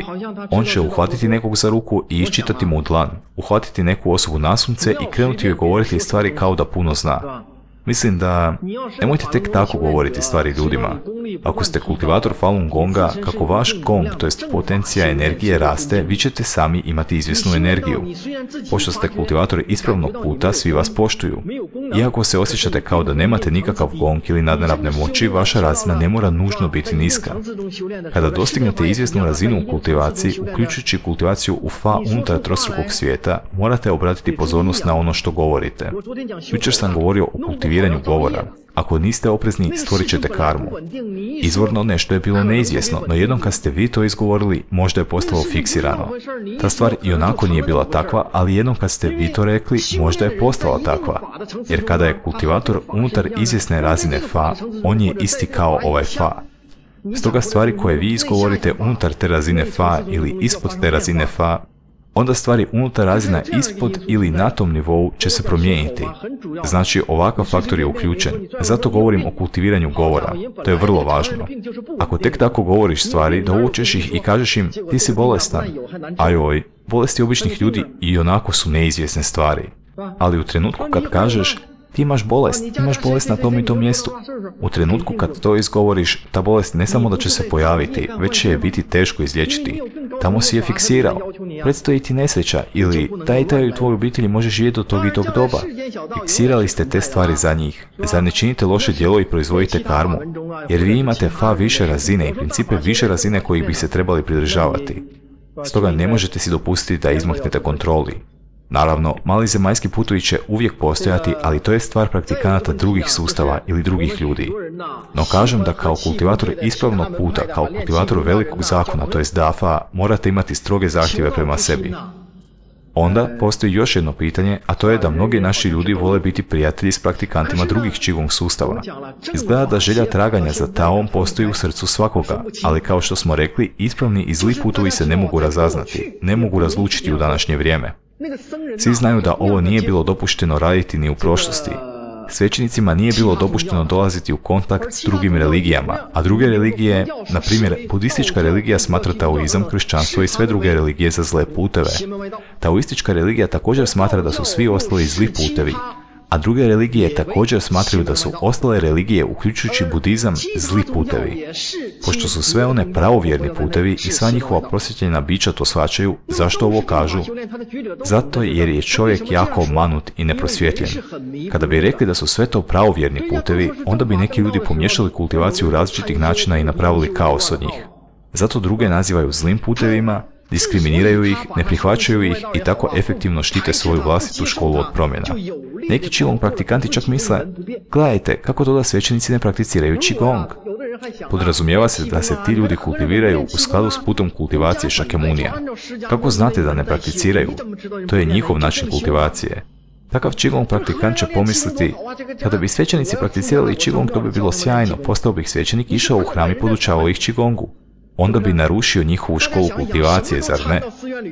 On će uhvatiti nekog za ruku i iščitati mu dlan, uhvatiti neku osobu nasumce i krenuti joj govoriti stvari kao da puno zna. Mislim da nemojte tek tako govoriti stvari ljudima. Ako ste kultivator Falun Gonga, kako vaš gong, to jest potencija energije raste, vi ćete sami imati izvjesnu energiju. Pošto ste kultivator ispravnog puta, svi vas poštuju. Iako se osjećate kao da nemate nikakav gong ili nadnaravne moći, vaša razina ne mora nužno biti niska. Kada dostignete izvjesnu razinu u kultivaciji, uključujući kultivaciju u fa unutar trostrukog svijeta, morate obratiti pozornost na ono što govorite. Jučer sam govorio o kultiviranju govora. Ako niste oprezni, stvorit ćete karmu. Izvorno nešto je bilo neizvjesno, no jednom kad ste vi to izgovorili, možda je postalo fiksirano. Ta stvar i onako nije bila takva, ali jednom kad ste vi to rekli, možda je postala takva. Jer kada je kultivator unutar izvjesne razine fa, on je isti kao ovaj fa. Stoga stvari koje vi izgovorite unutar te razine fa ili ispod te razine fa, onda stvari unutar razina ispod ili na tom nivou će se promijeniti. Znači, ovakav faktor je uključen. Zato govorim o kultiviranju govora. To je vrlo važno. Ako tek tako govoriš stvari, dovučeš ih i kažeš im, ti si bolestan. Ajoj, bolesti običnih ljudi i onako su neizvjesne stvari. Ali u trenutku kad kažeš, ti imaš bolest, imaš bolest na tom i tom mjestu. U trenutku kad to izgovoriš, ta bolest ne samo da će se pojaviti, već će je biti teško izliječiti. Tamo si je fiksirao. Predstoji ti nesreća ili taj i taj u tvojoj obitelji može živjeti do tog i tog doba. Fiksirali ste te stvari za njih. Zar ne činite loše djelo i proizvodite karmu? Jer vi imate fa više razine i principe više razine kojih bi se trebali pridržavati. Stoga ne možete si dopustiti da izmaknete kontroli. Naravno, mali zemaljski putovi će uvijek postojati, ali to je stvar praktikanata drugih sustava ili drugih ljudi. No kažem da kao kultivator ispravnog puta, kao kultivator velikog zakona, to jest dafa, morate imati stroge zahtjeve prema sebi. Onda postoji još jedno pitanje, a to je da mnogi naši ljudi vole biti prijatelji s praktikantima drugih Qigong sustava. Izgleda da želja traganja za Taom postoji u srcu svakoga, ali kao što smo rekli, ispravni i zli putovi se ne mogu razaznati, ne mogu razlučiti u današnje vrijeme. Svi znaju da ovo nije bilo dopušteno raditi ni u prošlosti. Svećenicima nije bilo dopušteno dolaziti u kontakt s drugim religijama, a druge religije, na primjer, budistička religija smatra taoizam, kršćanstvo i sve druge religije za zle puteve. Taoistička religija također smatra da su svi ostali zli putevi, a druge religije također smatraju da su ostale religije, uključujući budizam, zli putevi. Pošto su sve one pravovjerni putevi i sva njihova prosvjetljena bića to shvaćaju, zašto ovo kažu? Zato jer je čovjek jako obmanut i neprosvjetljen. Kada bi rekli da su sve to pravovjerni putevi, onda bi neki ljudi pomiješali kultivaciju različitih načina i napravili kaos od njih. Zato druge nazivaju zlim putevima, diskriminiraju ih, ne prihvaćaju ih i tako efektivno štite svoju vlastitu školu od promjena. Neki Qigong praktikanti čak misle, gledajte, kako to da svećenici ne prakticiraju Qigong? Podrazumijeva se da se ti ljudi kultiviraju u skladu s putom kultivacije Shakyamunija. Kako znate da ne prakticiraju? To je njihov način kultivacije. Takav Qigong praktikant će pomisliti, kada bi svećenici prakticirali Qigong, to bi bilo sjajno, postao bih svećenik, išao u hram i podučavao ih Qigongu. Onda bi narušio njihovu školu kultivacije, zar ne?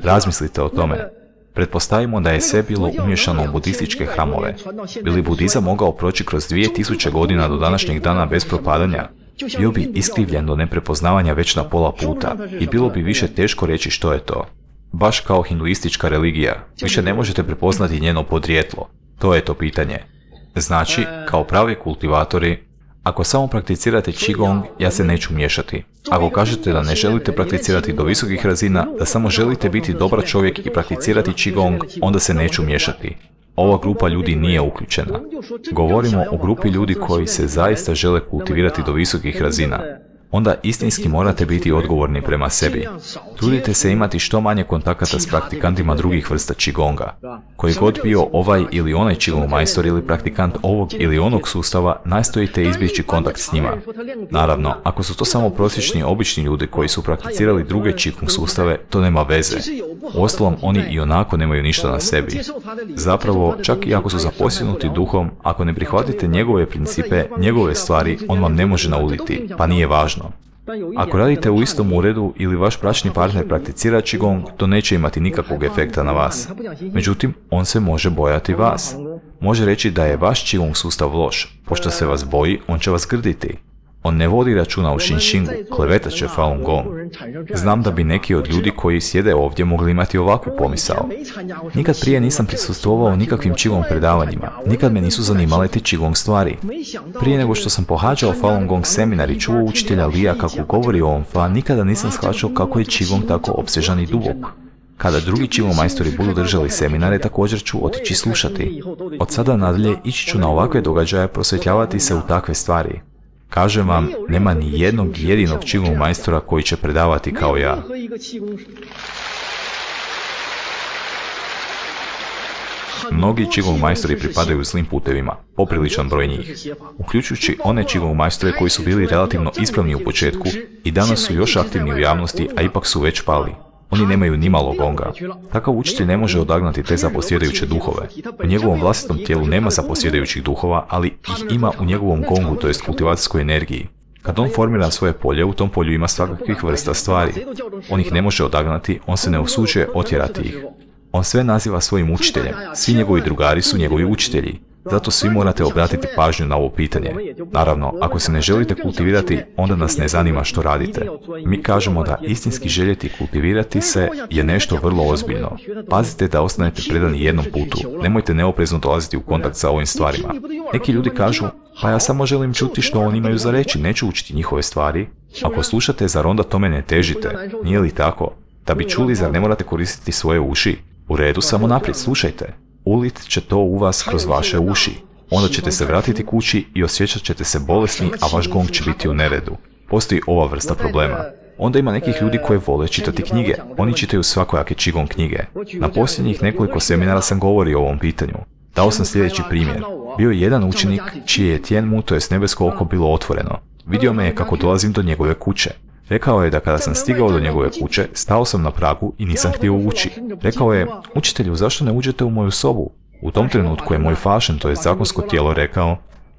Razmislite o tome. Pretpostavimo da je sve bilo umješano u budističke hramove. Bi li budizam mogao proći kroz dvije tisuće godina do današnjeg dana bez propadanja? Bio bi iskrivljen do neprepoznavanja već na pola puta i bilo bi više teško reći što je to. Baš kao hinduistička religija, više ne možete prepoznati njeno podrijetlo. To je to pitanje. Znači, kao pravi kultivatori, ako samo prakticirate Qigong, ja se neću miješati. Ako kažete da ne želite prakticirati do visokih razina, da samo želite biti dobar čovjek i prakticirati Qigong, onda se neću miješati. Ova grupa ljudi nije uključena. Govorimo o grupi ljudi koji se zaista žele kultivirati do visokih razina. Onda istinski morate biti odgovorni prema sebi. Trudite se imati što manje kontakata s praktikantima drugih vrsta Qigonga. Koji god bio ovaj ili onaj Qigong majstor ili praktikant ovog ili onog sustava, nastojite izbjeći kontakt s njima. Naravno, ako su to samo prosječni obični ljudi koji su prakticirali druge Qigong sustave, to nema veze. Uostalom, oni i onako nemaju ništa na sebi. Zapravo, čak i ako su zaposjednuti duhom, ako ne prihvatite njegove principe, njegove stvari, on vam ne može nauditi, pa nije važno. Ako radite u istom uredu ili vaš bračni partner prakticira Qigong, to neće imati nikakvog efekta na vas. Međutim, on se može bojati vas. Može reći da je vaš Qigong sustav loš. Pošto se vas boji, on će vas grditi. On ne vodi računa o Shinshingu, klevetat će Falun Gong. Znam da bi neki od ljudi koji sjede ovdje mogli imati ovakvu pomisao. Nikad prije nisam prisustvovao nikakvim Qigong predavanjima, nikad me nisu zanimale te Qigong stvari. Prije nego što sam pohađao Falun Gong seminar i čuo učitelja Lija kako govori o ovom fa, nikada nisam shvaćao kako je Qigong tako opsežan i dubok. Kada drugi Qigong majstori budu držali seminare, također ću otići slušati. Od sada nadalje ići ću na ovakve događaje, prosvjetljavati se u takve stvari. Kažem vam, nema ni jednog jedinog Qigong majstora koji će predavati kao ja. Mnogi Qigong majstori pripadaju zlim putevima, popriličan broj njih, uključujući one Qigong majstore koji su bili relativno ispravni u početku i danas su još aktivni u javnosti, a ipak su već pali. Oni nemaju ni malo gonga. Takav učitelj ne može odagnati te zaposjedajuće duhove. U njegovom vlastitom tijelu nema zaposjedajućih duhova, ali ih ima u njegovom gongu, to jest kultivacijskoj energiji. Kad on formira svoje polje, u tom polju ima svakakvih vrsta stvari. On ih ne može odagnati, on se ne usuđuje otjerati ih. On sve naziva svojim učiteljem, svi njegovi drugari su njegovi učitelji. Zato svi morate obratiti pažnju na ovo pitanje. Naravno, ako se ne želite kultivirati, onda nas ne zanima što radite. Mi kažemo da istinski željeti kultivirati se je nešto vrlo ozbiljno. Pazite da ostanete predani jednom putu. Nemojte neoprezno dolaziti u kontakt sa ovim stvarima. Neki ljudi kažu, pa ja samo želim čuti što oni imaju za reći, neću učiti njihove stvari. Ako slušate, zar onda tome ne težite? Nije li tako? Da bi čuli, zar ne morate koristiti svoje uši? U redu, samo naprijed, slušajte. Ulit će to u vas kroz vaše uši. Onda ćete se vratiti kući i osjećat ćete se bolesni, a vaš gong će biti u neredu. Postoji ova vrsta problema. Onda ima nekih ljudi koji vole čitati knjige. Oni čitaju svakojake Qigong knjige. Na posljednjih nekoliko seminara sam govorio o ovom pitanju. Dao sam sljedeći primjer. Bio je jedan učenik čije je Tien Mu, to jest nebesko oko, bilo otvoreno. Vidio me je kako dolazim do njegove kuće. Rekao je da kada sam stigao do njegove kuće, stao sam na pragu i nisam htio ući. Rekao je, učitelju, zašto ne uđete u moju sobu? U tom trenutku je moj fašen, to je zakonsko tijelo, rekao,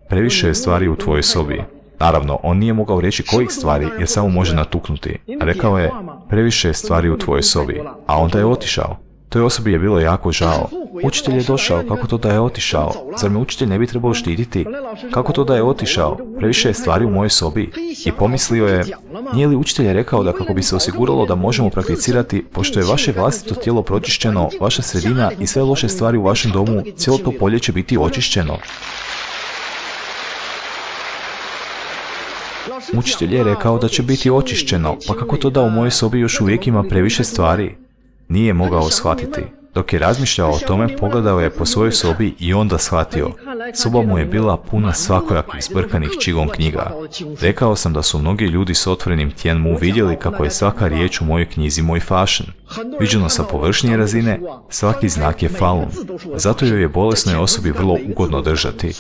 previše je stvari u tvojoj sobi. Naravno, on nije mogao reći kojih stvari jer samo može natuknuti. Rekao je, previše je stvari u tvojoj sobi, a onda je otišao. Toj osobi je bilo jako žao. Učitelj je došao, kako to da je otišao? Zar me učitelj ne bi trebao štititi? Kako to da je otišao? Previše je stvari u mojoj sobi. I pomislio je, nije li učitelj rekao da kako bi se osiguralo da možemo prakticirati, pošto je vaše vlastito tijelo pročišćeno, vaša sredina i sve loše stvari u vašem domu, cijelo to polje će biti očišćeno. Učitelj je rekao da će biti očišćeno, pa kako to da u mojoj sobi još uvijek ima previše stvari? Nije mogao shvatiti. Dok je razmišljao o tome, pogledao je po svojoj sobi i onda shvatio. Soba mu je bila puna svakojakih zbrkanih Qigong knjiga. Rekao sam da su mnogi ljudi s otvorenim Tien Mu vidjeli kako je svaka riječ u mojoj knjizi moj fašen. Viđeno sa površnije razine, svaki znak je Falun. Zato joj je bolesnoj osobi vrlo ugodno držati.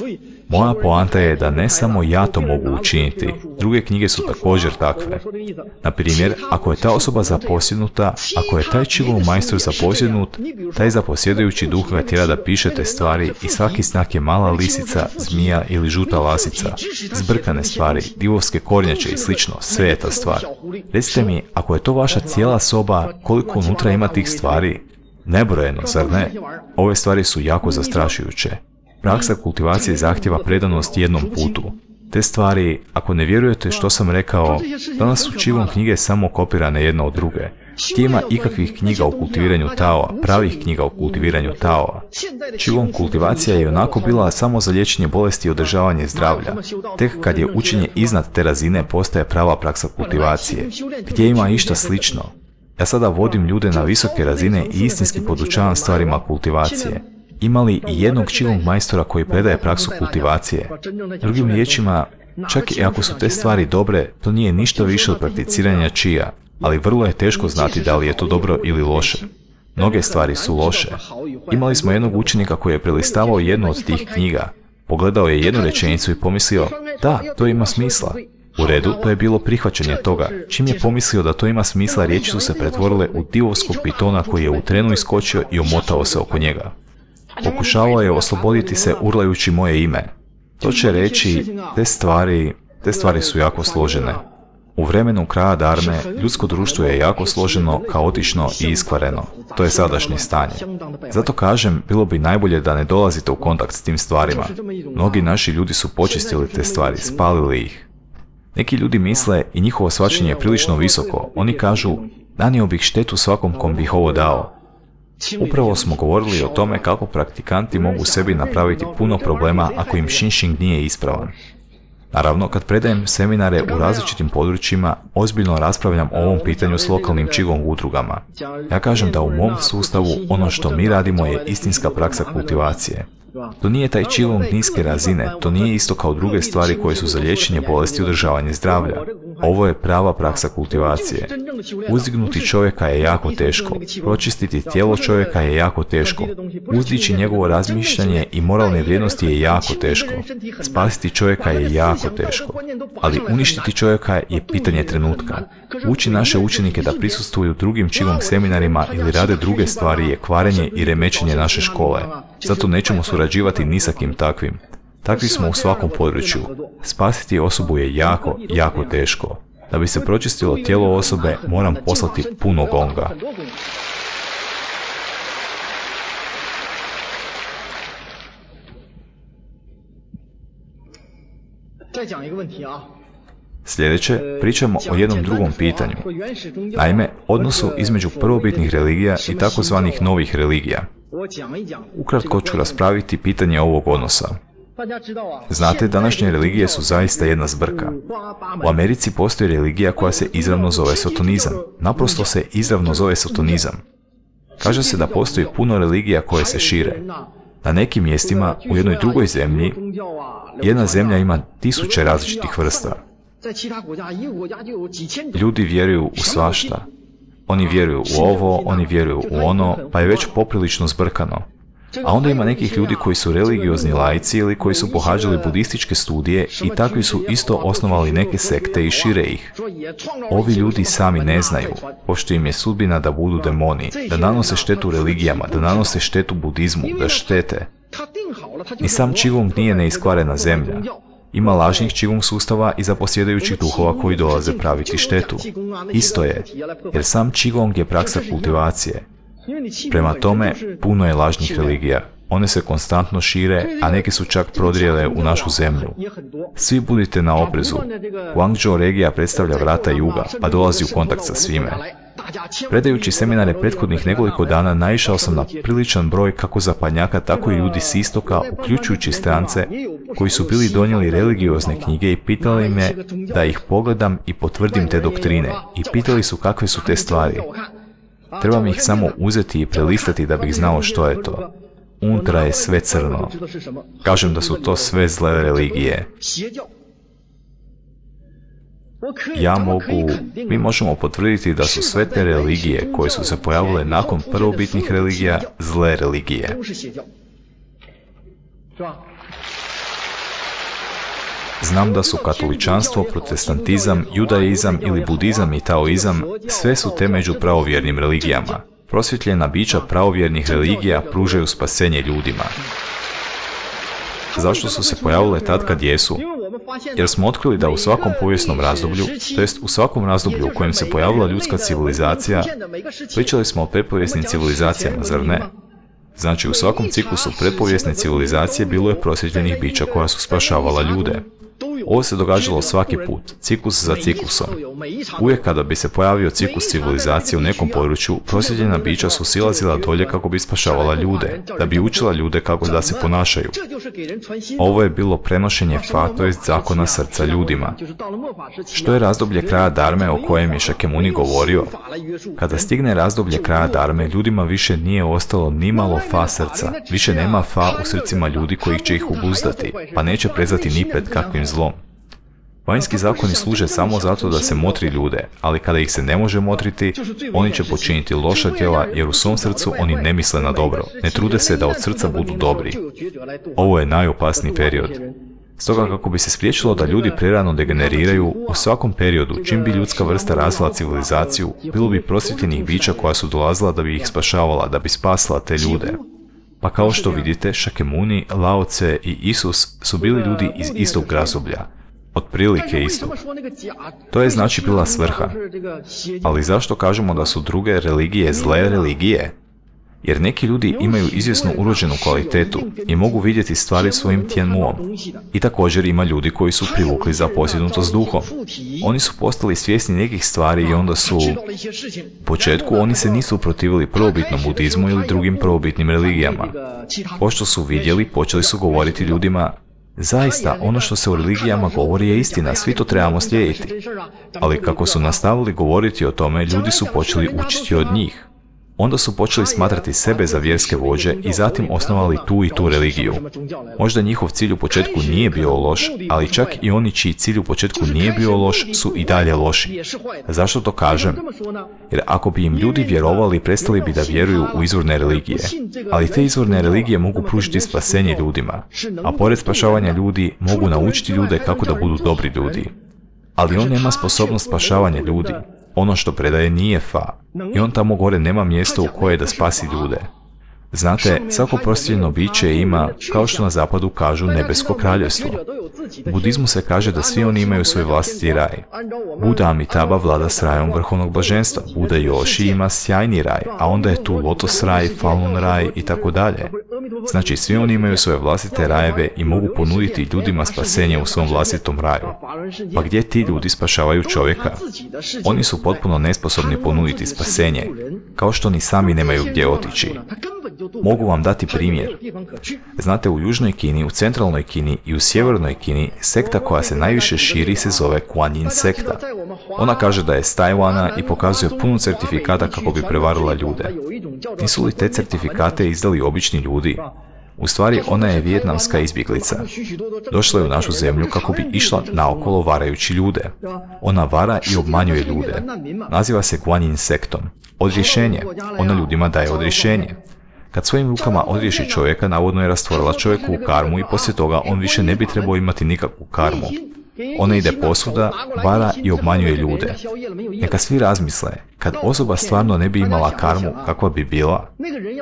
Moja poanta je da ne samo ja to mogu učiniti, druge knjige su također takve. Na primjer, ako je ta osoba zaposjednuta, ako je taj Qigong majstor zaposjednut, taj zaposjedujući duh ga tjera da piše te stvari i svaki znak je mala lisica, zmija ili žuta lasica. Zbrkane stvari, divovske kornjače i slično, sve je ta stvar. Recite mi, ako je to vaša cijela soba, koliko unutra ima tih stvari? Nebrojeno, zar ne? Ove stvari su jako zastrašujuće. Praksa kultivacije zahtjeva predanost jednom putu. Te stvari, ako ne vjerujete što sam rekao, danas su Qigong knjige samo kopirane jedna od druge. Gdje ima ikakvih knjiga o kultiviranju Taoa, pravih knjiga o kultiviranju Taoa. Qigong kultivacija je onako bila samo za liječenje bolesti i održavanje zdravlja. Tek kad je učenje iznad te razine postaje prava praksa kultivacije. Gdje ima išta slično? Ja sada vodim ljude na visoke razine i istinski podučavam stvarima kultivacije. Ima li i jednog Qigong majstora koji predaje praksu kultivacije? Drugim riječima, čak i ako su te stvari dobre, to nije ništa više od prakticiranja Qia, ali vrlo je teško znati da li je to dobro ili loše. Mnoge stvari su loše. Imali smo jednog učenika koji je prelistavao jednu od tih knjiga. Pogledao je jednu rečenicu i pomislio, da, to ima smisla. U redu, to je bilo prihvaćanje toga. Čim je pomislio da to ima smisla, riječi su se pretvorile u divovskog pitona koji je u trenu iskočio i omotao se oko njega. Pokušavao je osloboditi se urlajući moje ime. To će reći, te stvari, te stvari su jako složene. U vremenu kraja Dharme, ljudsko društvo je jako složeno, kaotično i iskvareno. To je sadašnje stanje. Zato kažem, bilo bi najbolje da ne dolazite u kontakt s tim stvarima. Mnogi naši ljudi su počistili te stvari, spalili ih. Neki ljudi misle i njihovo shvaćanje je prilično visoko. Oni kažu, nanio bih štetu svakom kom bih ovo dao. Upravo smo govorili o tome kako praktikanti mogu sebi napraviti puno problema ako im Shinshin nije ispravan. Naravno, kad predajem seminare u različitim područjima, ozbiljno raspravljam o ovom pitanju s lokalnim Qigong udrugama. Ja kažem da u mom sustavu ono što mi radimo je istinska praksa kultivacije. To nije taj Qigong niske razine, to nije isto kao druge stvari koje su za liječenje bolesti i održavanje zdravlja. Ovo je prava praksa kultivacije. Uzdignuti čovjeka je jako teško, pročistiti tijelo čovjeka je jako teško, uzdići njegovo razmišljanje i moralne vrijednosti je jako teško, spasiti čovjeka je jako teško, ali uništiti čovjeka je pitanje trenutka. Uči naše učenike da prisustvuju drugim Qigong seminarima ili rade druge stvari je kvarenje i remećenje naše škole. Zato nećemo surađivati ni sa kim takvim. Takvi smo u svakom području. Spasiti osobu je jako, jako teško. Da bi se pročistilo tijelo osobe, moram poslati puno gonga. Sljedeće, pričamo o jednom drugom pitanju. Naime, odnosu između prvobitnih religija i takozvanih novih religija. Ukratko ću raspraviti pitanje ovog odnosa. Znate, današnje religije su zaista jedna zbrka. U Americi postoji religija koja se izravno zove sotonizam. Naprosto se izravno zove sotonizam. Kaže se da postoji puno religija koje se šire. Na nekim mjestima, u jednoj drugoj zemlji, jedna zemlja ima tisuće različitih vrsta. Ljudi vjeruju u svašta. Oni vjeruju u ovo, oni vjeruju u ono, pa je već poprilično zbrkano. A onda ima nekih ljudi koji su religiozni laici ili koji su pohađali budističke studije i takvi su isto osnovali neke sekte i šire ih. Ovi ljudi sami ne znaju, pošto im je sudbina da budu demoni, da nanose štetu religijama, da nanose štetu budizmu, da štete. Ni sam Qigong nije neiskvarena zemlja. Ima lažnih Qigong sustava i zaposjedajućih duhova koji dolaze praviti štetu. Isto je, jer sam Qigong je praksa kultivacije. Prema tome, puno je lažnih religija. One se konstantno šire, a neke su čak prodrijele u našu zemlju. Svi budite na oprezu. Guangzhou regija predstavlja vrata juga, pa dolazi u kontakt sa svime. Predajući seminare prethodnih nekoliko dana naišao sam na priličan broj kako zapadnjaka, tako i ljudi s istoka, uključujući strance, koji su bili donijeli religiozne knjige i pitali me da ih pogledam i potvrdim te doktrine. I pitali su kakve su te stvari. Trebam ih samo uzeti i prelistati da bih znao što je to. Unutra je sve crno. Kažem da su to sve zle religije. Ja mogu, mi možemo potvrditi da su sve te religije koje su se pojavile nakon prvobitnih religija zle religije. Znam da su katoličanstvo, protestantizam, judaizam ili budizam i taoizam sve su te među pravovjernim religijama. Prosvjetljena bića pravovjernih religija pružaju spasenje ljudima. Zašto su se pojavile tad kad jesu? Jer smo otkrili da u svakom povijesnom razdoblju, to jest u svakom razdoblju u kojem se pojavila ljudska civilizacija, pričali smo o pretpovijesnim civilizacijama, zar ne? Znači, u svakom ciklusu pretpovijesne civilizacije bilo je prosvjetljenih bića koja su spašavala ljude. Ovo se događalo svaki put, ciklus za ciklusom. Uvijek kada bi se pojavio ciklus civilizacije u nekom području, prosvjetljena bića su silazila dolje kako bi spašavala ljude, da bi učila ljude kako da se ponašaju. Ovo je bilo prenošenje fa, to jest zakona srca ljudima. Što je razdoblje kraja Dharme o kojem je Shakyamuni govorio? Kada stigne razdoblje kraja Dharme, ljudima više nije ostalo ni malo fa srca, više nema fa u srcima ljudi koji će ih obuzdati, pa neće prezati ni pred kakvim zlom. Vanjski zakoni služe samo zato da se motri ljude, ali kada ih se ne može motriti, oni će počiniti loša djela jer u svom srcu oni ne misle na dobro, ne trude se da od srca budu dobri. Ovo je najopasniji period. Stoga kako bi se spriječilo da ljudi prerano degeneriraju, u svakom periodu, čim bi ljudska vrsta razvila civilizaciju, bilo bi prosvjetljenih bića koja su dolazila da bi ih spašavala, da bi spasila te ljude. Pa kao što vidite, Shakyamuni, Lao Tse i Isus su bili ljudi iz istog razdoblja. Otprilike isto. To je znači bila svrha. Ali zašto kažemo da su druge religije zle religije? Jer neki ljudi imaju izvjesnu urođenu kvalitetu i mogu vidjeti stvari svojim tianmuom. I također ima ljudi koji su privukli za posjednutost duhom. Oni su postali svjesni nekih stvari i onda su... U početku oni se nisu protivili prvobitnom budizmu ili drugim prvobitnim religijama. Pošto su vidjeli, počeli su govoriti ljudima: zaista, ono što se u religijama govori je istina, svi to trebamo slijediti. Ali kako su nastavili govoriti o tome, ljudi su počeli učiti od njih. Onda su počeli smatrati sebe za vjerske vođe i zatim osnovali tu i tu religiju. Možda njihov cilj u početku nije bio loš, ali čak i oni čiji cilj u početku nije bio loš su i dalje loši. Zašto to kažem? Jer ako bi im ljudi vjerovali, prestali bi da vjeruju u izvorne religije. Ali te izvorne religije mogu pružiti spasenje ljudima, a pored spašavanja ljudi mogu naučiti ljude kako da budu dobri ljudi. Ali on nema sposobnost spašavanja ljudi. Ono što predaje nije fa. I on tamo gore nema mjesto u koje da spasi ljude. Znate, svako prosvjetljeno biće ima, kao što na zapadu kažu, nebesko kraljevstvo. U budizmu se kaže da svi oni imaju svoj vlastiti raj. Buda Amitabha vlada s rajom vrhovnog blaženstva. Buda Joshi ima sjajni raj, a onda je tu lotos raj, Falun raj i tako dalje. Znači, svi oni imaju svoje vlastite rajeve i mogu ponuditi ljudima spasenje u svom vlastitom raju. Pa gdje ti ljudi spašavaju čovjeka? Oni su potpuno nesposobni ponuditi spasenje, kao što ni sami nemaju gdje otići. Mogu vam dati primjer. Znate, u Južnoj Kini, u Centralnoj Kini i u Sjevernoj Kini sekta koja se najviše širi se zove Kuan Yin sekta. Ona kaže da je s Tajvana i pokazuje puno certifikata kako bi prevarila ljude. Nisu li te certifikate izdali obični ljudi? U stvari, ona je vijetnamska izbjeglica. Došla je u našu zemlju kako bi išla naokolo varajući ljude. Ona vara i obmanjuje ljude. Naziva se Kuan Yin sektom. Odrješenje. Ona ljudima daje odrješenje. Kad svojim rukama odriješi čovjeka, navodno je rastvorila čovjeku u karmu i poslije toga on više ne bi trebao imati nikakvu karmu. Ona ide posvuda, vara i obmanjuje ljude. Neka svi razmisle, kad osoba stvarno ne bi imala karmu, kakva bi bila?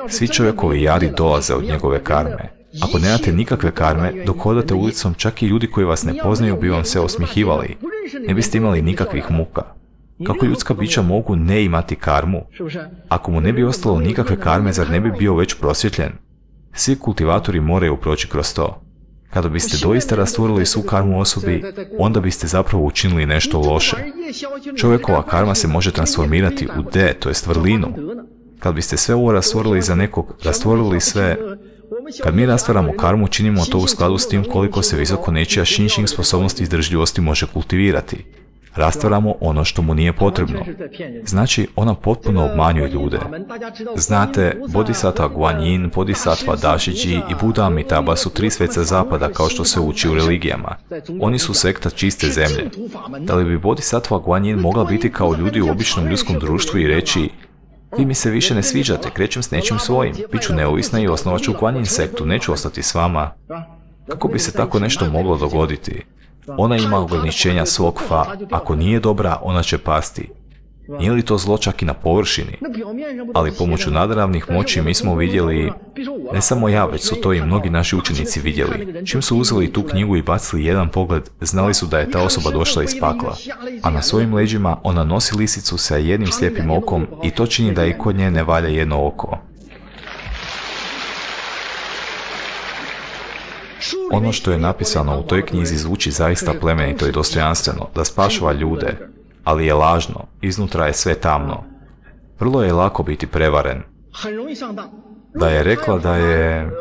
Svi čovjekovi jadi dolaze od njegove karme. Ako nemate nikakve karme, dok hodate ulicom, čak i ljudi koji vas ne poznaju bi vam se osmihivali. Ne biste imali nikakvih muka. Kako ljudska bića mogu ne imati karmu? Ako mu ne bi ostalo nikakve karme, zar ne bi bio već prosvjetljen? Svi kultivatori moraju proći kroz to. Kada biste doista rastvorili svu karmu osobi, onda biste zapravo učinili nešto loše. Čovjekova karma se može transformirati u D, to jest vrlinu. Kad biste sve ovo rastvorili za nekog, rastvorili sve... Kad mi rastvaramo karmu, činimo to u skladu s tim koliko se visoko nečija Shinshing sposobnost izdržljivosti može kultivirati. Rastvaramo ono što mu nije potrebno. Znači, ona potpuno obmanjuje ljude. Znate, Bodhisattva Guanyin, Bodhisattva Dashiji i Buda Amitabha su tri sveca zapada kao što se uči u religijama. Oni su sekta čiste zemlje. Da li bi Bodhisattva Guanyin mogla biti kao ljudi u običnom ljudskom društvu i reći: vi mi se više ne sviđate, krećem s nečim svojim, bit ću neovisna i osnovat ću Guanyin sektu, neću ostati s vama? Kako bi se tako nešto moglo dogoditi? Ona ima ograničenja svog fa, ako nije dobra, ona će pasti. Nije li to zlo čak i na površini? Ali pomoću nadravnih moći mi smo vidjeli, ne samo ja, već su to i mnogi naši učenici vidjeli. Čim su uzeli tu knjigu i bacili jedan pogled, znali su da je ta osoba došla iz pakla. A na svojim leđima ona nosi lisicu sa jednim slijepim okom i to čini da i kod nje ne valja jedno oko. Ono što je napisano u toj knjizi zvuči zaista plemenito i dostojanstveno, da spašava ljude, ali je lažno, iznutra je sve tamno. Vrlo je lako biti prevaren. Da je rekla da je...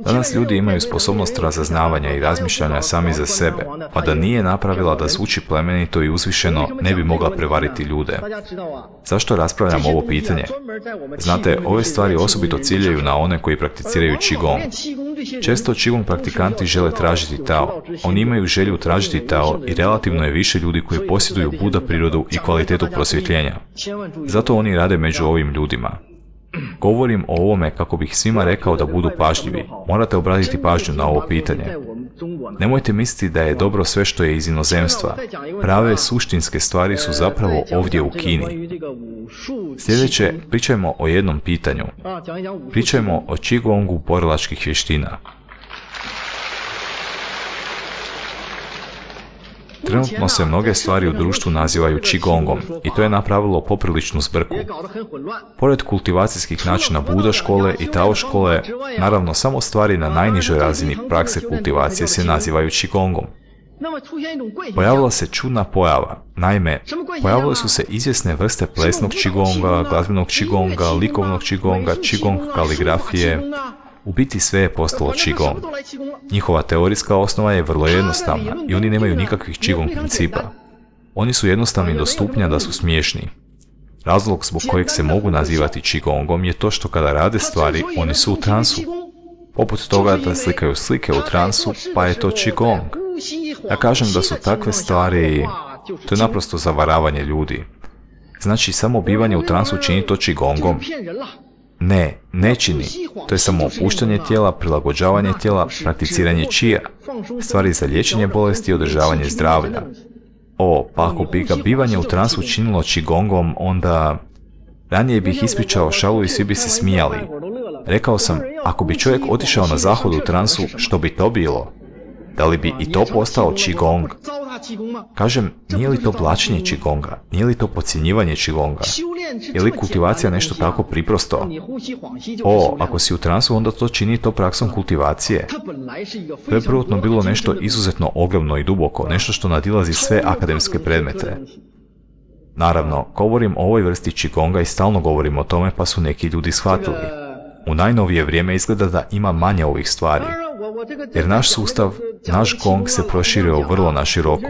Danas ljudi imaju sposobnost razaznavanja i razmišljanja sami za sebe, pa da nije napravila da zvuči plemenito i uzvišeno, ne bi mogla prevariti ljude. Zašto raspravljam ovo pitanje? Znate, ove stvari osobito ciljaju na one koji prakticiraju Qigong. Često Qigong praktikanti žele tražiti Tao. Oni imaju želju tražiti Tao i relativno je više ljudi koji posjeduju Buda prirodu i kvalitetu prosvjetljenja. Zato oni rade među ovim ljudima. Govorim o ovome kako bih svima rekao da budu pažljivi. Morate obratiti pažnju na ovo pitanje. Nemojte misliti da je dobro sve što je iz inozemstva. Prave suštinske stvari su zapravo ovdje u Kini. Sljedeće, pričajmo o jednom pitanju. Pričajmo o Qigongu borilačkih vještina. Trenutno se mnoge stvari u društvu nazivaju Qigongom i to je napravilo popriličnu zbrku. Pored kultivacijskih načina Buda škole i Tao škole, naravno samo stvari na najnižoj razini prakse kultivacije se nazivaju Qigongom. Pojavila se čudna pojava. Naime, pojavile su se izvjesne vrste plesnog Qigonga, glazbenog Qigonga, likovnog Qigonga, Qigong kaligrafije. U biti sve je postalo Qigong. Njihova teorijska osnova je vrlo jednostavna i oni nemaju nikakvih Qigong principa. Oni su jednostavni do stupnja da su smiješni. Razlog zbog kojeg se mogu nazivati Qigongom je to što kada rade stvari, oni su u transu. Poput toga da slikaju slike u transu, pa je to Qigong. Ja kažem da su takve stvari, to je naprosto zavaravanje ljudi. Znači, samo bivanje u transu čini to Qigongom? Ne, ne čini. To je samo opuštanje tijela, prilagođavanje tijela, prakticiranje čija, stvari za liječenje bolesti i održavanje zdravlja. O, pa ako bi ga bivanje u transu činilo Qigongom, onda... Ranije bih ispričao šalu i svi bi se smijali. Rekao sam, ako bi čovjek otišao na zahod u transu, što bi to bilo? Da li bi i to postao Qigong? Kažem, nije li to blačenje Qigonga? Nije li to podcjenjivanje Qigonga? Je li kultivacija nešto tako priprosto? O, ako si u transu, onda to čini to praksom kultivacije. To je prvotno bilo nešto izuzetno ogromno i duboko, nešto što nadilazi sve akademske predmete. Naravno, govorim o ovoj vrsti Qigonga i stalno govorim o tome, pa su neki ljudi shvatili. U najnovije vrijeme izgleda da ima manje ovih stvari. Jer naš sustav, naš gong se proširio vrlo na široko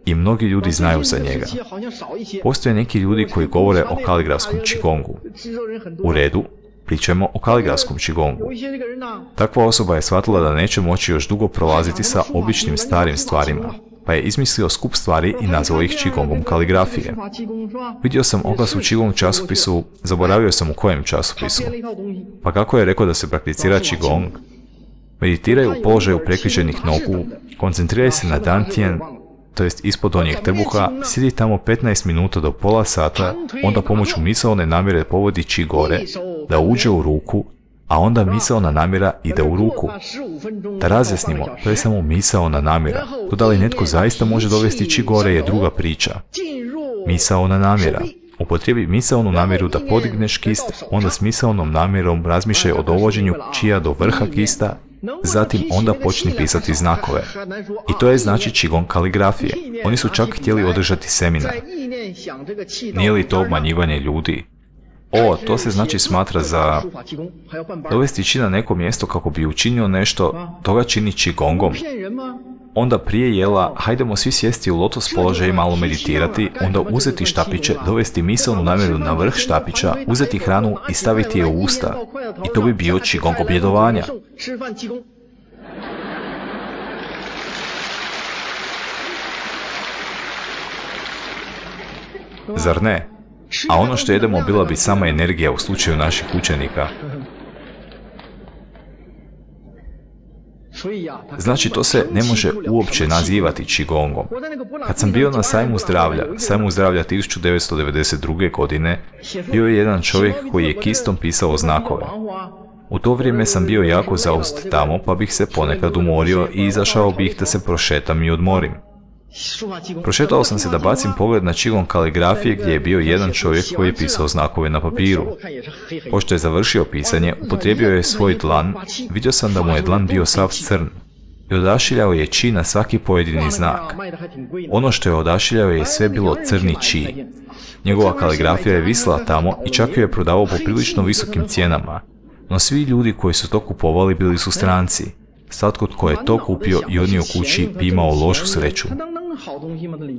i mnogi ljudi znaju za njega. Postoje neki ljudi koji govore o kaligrafskom Qigongu. U redu, pričajmo o kaligrafskom Qigongu. Takva osoba je shvatila da neće moći još dugo prolaziti sa običnim starim stvarima, pa je izmislio skup stvari i nazvao ih Qigongom kaligrafije. Vidio sam oglas u Qigong časopisu, zaboravio sam u kojem časopisu. Pa kako je rekao da se prakticira Qigong? Meditiraj u položaju prekriženih nogu, koncentriraj se na dantian, to jest ispod donjeg trbuha, sjedi tamo petnaest minuta do pola sata, onda pomoću misaone namjere povodi Qi gore, da uđe u ruku, a onda misaona namjera ide u ruku. Da razjasnimo, to je samo misaona namjera. To da li netko zaista može dovesti Qi gore je druga priča. Misaona namjera. Upotrijebi misaonu namjeru da podigneš kist, onda s misaonom namjerom razmišljaj o dovođenju Qija do vrha kista, zatim onda počni pisati znakove. I to je znači Qigong kaligrafije. Oni su čak htjeli održati seminar. Nije li to obmanjivanje ljudi? O, to se znači smatra za dovesti Qi na neko mjesto kako bi učinio nešto, toga čini Qigongom. Onda prije jela, hajdemo svi sjesti u lotos položaj i malo meditirati, onda uzeti štapiće, dovesti misaonu namjeru na vrh štapića, uzeti hranu i staviti je u usta. I to bi bio Qigong objedovanja. Zar ne? A ono što jedemo bila bi sama energija u slučaju naših učenika. Znači, to se ne može uopće nazivati Qigongom. Kad sam bio na sajmu zdravlja, sajmu zdravlja tisuću devetsto devedeset druge. godine, bio je jedan čovjek koji je kistom pisao znakove. U to vrijeme sam bio jako zauzet tamo, pa bih se ponekad umorio i izašao bih da se prošetam i odmorim. Prošetao sam se da bacim pogled na Qigong kaligrafije gdje je bio jedan čovjek koji je pisao znakove na papiru. Pošto je završio pisanje, upotrijebio je svoj dlan, vidio sam da mu je dlan bio sav crn i odašiljao je Qi na svaki pojedini znak. Ono što je odašiljao je sve bilo crni Qi. Njegova kaligrafija je visila tamo i čak ju je prodavao po prilično visokim cijenama, no svi ljudi koji su to kupovali bili su stranci. Svatko tko je to kupio i odnio kući bi imao lošu sreću.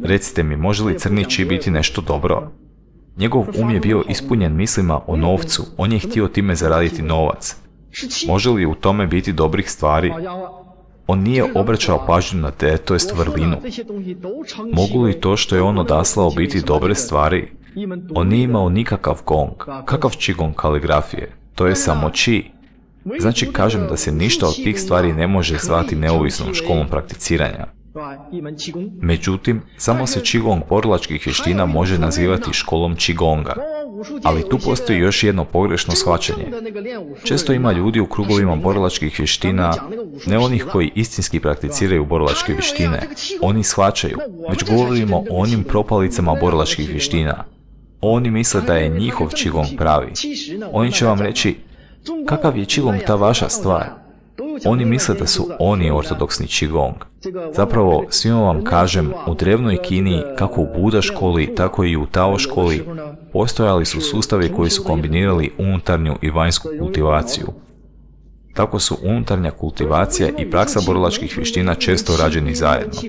Recite mi, može li crni Qi biti nešto dobro? Njegov um je bio ispunjen mislima o novcu, on je htio time zaraditi novac. Može li u tome biti dobrih stvari? On nije obraćao pažnju na te, to jest vrlinu. Mogu li to što je on odaslao biti dobre stvari? On nije imao nikakav gong. Kakav Qigong kaligrafije? To je samo Qi. Znači, kažem da se ništa od tih stvari ne može zvati neovisnom školom prakticiranja. Međutim, samo se Qigong borilačkih vještina može nazivati školom Qigonga. Ali tu postoji još jedno pogrešno shvaćanje. Često ima ljudi u krugovima borilačkih vještina, ne onih koji istinski prakticiraju borilačke vještine. Oni shvaćaju, već govorimo o onim propalicama borilačkih vještina. Oni misle da je njihov Qigong pravi. Oni će vam reći, kakav je Qigong ta vaša stvar? Oni misle da su oni ortodoksni Qigong. Zapravo, svima vam kažem, u drevnoj Kini, kako u Buda školi, tako i u Tao školi, postojali su sustavi koji su kombinirali unutarnju i vanjsku kultivaciju. Tako su unutarnja kultivacija i praksa borilačkih vještina često rađeni zajedno.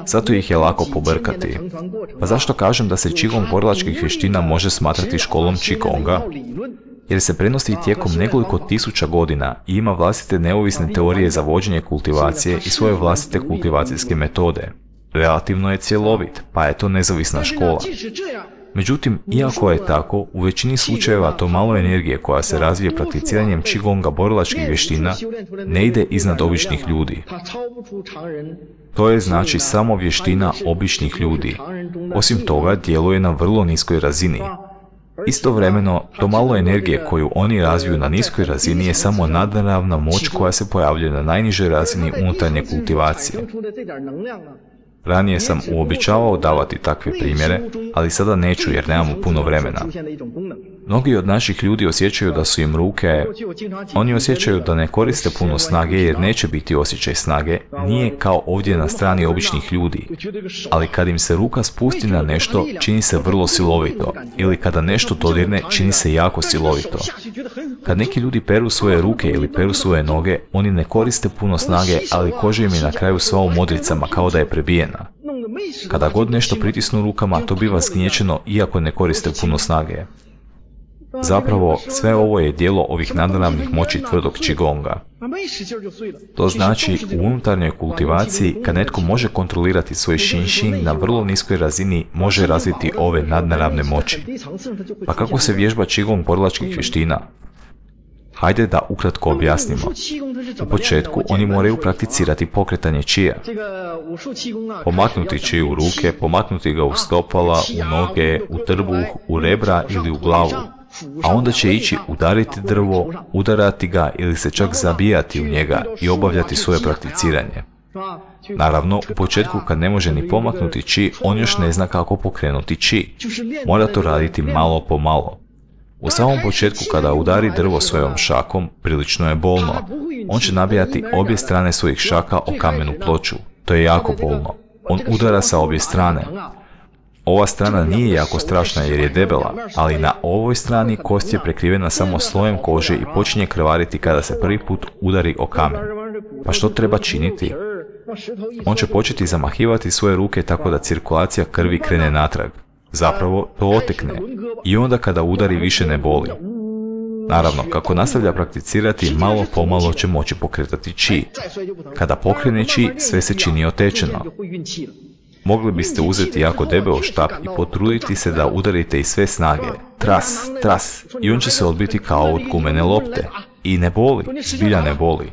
Zato ih je lako pobrkati. Pa zašto kažem da se Qigong borilačkih vještina može smatrati školom Qigonga? Jer se prenosi tijekom nekoliko tisuća godina i ima vlastite neovisne teorije za vođenje kultivacije i svoje vlastite kultivacijske metode. Relativno je cjelovit, pa je to nezavisna škola. Međutim, iako je tako, u većini slučajeva to malo energije koja se razvije prakticiranjem Qigonga borilačkih vještina ne ide iznad običnih ljudi. To je znači samo vještina običnih ljudi. Osim toga, djeluje na vrlo niskoj razini. Istovremeno, to malo energije koju oni razviju na niskoj razini je samo nadnaravna moć koja se pojavljuje na najnižoj razini unutarnje kultivacije. Ranije sam uobičavao davati takve primjere, ali sada neću jer nemamo puno vremena. Mnogi od naših ljudi osjećaju da su im ruke, oni osjećaju da ne koriste puno snage jer neće biti osjećaj snage, nije kao ovdje na strani običnih ljudi. Ali kad im se ruka spusti na nešto, čini se vrlo silovito, ili kada nešto dodirne, čini se jako silovito. Kad neki ljudi peru svoje ruke ili peru svoje noge, oni ne koriste puno snage, ali koža im je na kraju sva u modricama kao da je prebijena. Kada god nešto pritisnu rukama, to biva zgnječeno iako ne koriste puno snage. Zapravo, sve ovo je dijelo ovih nadnaravnih moći tvrdog Qigonga. To znači, u unutarnjoj kultivaciji, kad netko može kontrolirati svoj Xing na vrlo niskoj razini, može razviti ove nadnaravne moći. Pa kako se vježba Qigong borilačkih vještina? Hajde da ukratko objasnimo. U početku oni moraju prakticirati pokretanje čija. Pomaknuti čiju u ruke, pomaknuti ga u stopala, u noge, u trbuh, u rebra ili u glavu. A onda će ići udariti drvo, udarati ga ili se čak zabijati u njega i obavljati svoje prakticiranje. Naravno, u početku kad ne može ni pomaknuti či, on još ne zna kako pokrenuti či. Mora to raditi malo po malo. U samom početku kada udari drvo svojom šakom, prilično je bolno. On će nabijati obje strane svojih šaka o kamenu ploču. To je jako bolno. On udara sa obje strane. Ova strana nije jako strašna jer je debela, ali na ovoj strani kost je prekrivena samo slojem kože i počinje krvariti kada se prvi put udari o kamen. Pa što treba činiti? On će početi zamahivati svoje ruke tako da cirkulacija krvi krene natrag. Zapravo, to otekne. I onda kada udari više ne boli. Naravno, kako nastavlja prakticirati, malo pomalo će moći pokretati či. Kada pokrene či, sve se čini otečeno. Mogli biste uzeti jako debeo štap i potruditi se da udarite iz sve snage. Tras, tras. I on će se odbiti kao od gumene lopte. I ne boli, zbilja ne boli.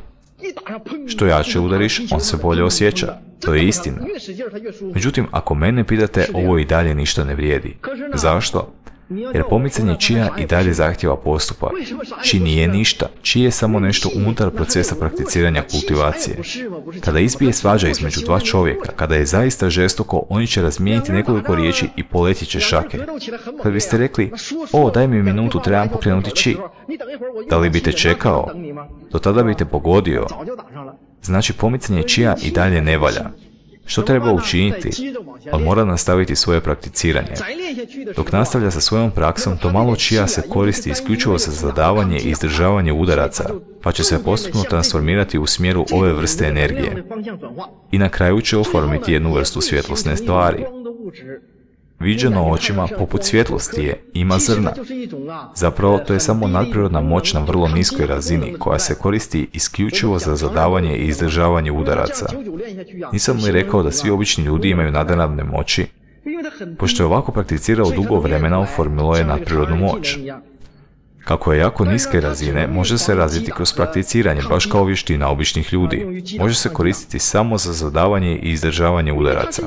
Što jače udariš, on se bolje osjeća. To je istina. Međutim, ako mene pitate, ovo i dalje ništa ne vrijedi. Zašto? Jer pomicanje čija i dalje zahtjeva postupak. Či nije ništa, či je samo nešto unutar procesa prakticiranja kultivacije. Kada izbije svađa između dva čovjeka, kada je zaista žestoko, oni će razmijeniti nekoliko riječi i poletit će šake. Kad biste rekli, o, daj mi minutu, trebam pokrenuti či. Da li biste čekao? Do tada biste pogodio. Znači, pomicanje čija i dalje ne valja. Što treba učiniti? On mora nastaviti svoje prakticiranje. Dok nastavlja sa svojom praksom, to malo čija se koristi isključivo za zadavanje i izdržavanje udaraca, pa će se postupno transformirati u smjeru ove vrste energije. I na kraju će oformiti jednu vrstu svjetlosne stvari. Viđeno očima poput svjetlosti je, ima zrna. Zapravo, to je samo nadprirodna moć na vrlo niskoj razini, koja se koristi isključivo za zadavanje i izdržavanje udaraca. Nisam li rekao da svi obični ljudi imaju nadnaravne moći? Pošto je ovako prakticirao dugo vremena, oformilo je nadprirodnu moć. Kako je jako niske razine, može se razviti kroz prakticiranje, baš kao vještina običnih ljudi. Može se koristiti samo za zadavanje i izdržavanje udaraca.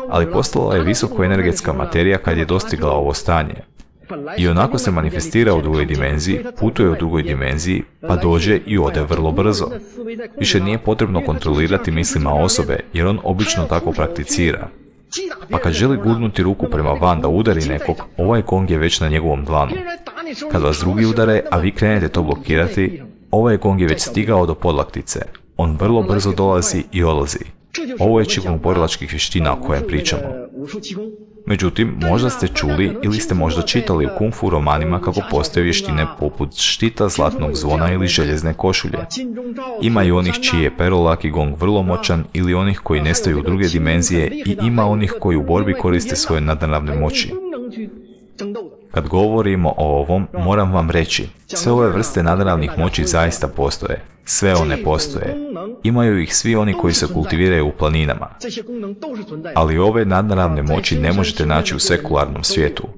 Ali postala je visokoenergetska materija kad je dostigla ovo stanje. I onako se manifestira u drugoj dimenziji, putuje u drugoj dimenziji, pa dođe i ode vrlo brzo. Više nije potrebno kontrolirati mislima osobe, jer on obično tako prakticira. Pa kad želi gurnuti ruku prema van da udari nekog, ovaj gong je već na njegovom dlanu. Kad vas drugi udare, a vi krenete to blokirati, ovaj gong je već stigao do podlaktice. On vrlo brzo dolazi i odlazi. Ovo je Qigong borilačkih vještina o kojem pričamo. Međutim, možda ste čuli ili ste možda čitali u kung fu romanima kako postoje vještine poput štita, zlatnog zvona ili željezne košulje. Ima i onih čiji je perolaki gong vrlo moćan ili onih koji nestaju u druge dimenzije i ima onih koji u borbi koriste svoje nadnaravne moći. Kad govorimo o ovom, moram vam reći, sve ove vrste nadnaravnih moći zaista postoje. Sve one postoje. Imaju ih svi oni koji se kultiviraju u planinama. Ali ove nadnaravne moći ne možete naći u sekularnom svijetu.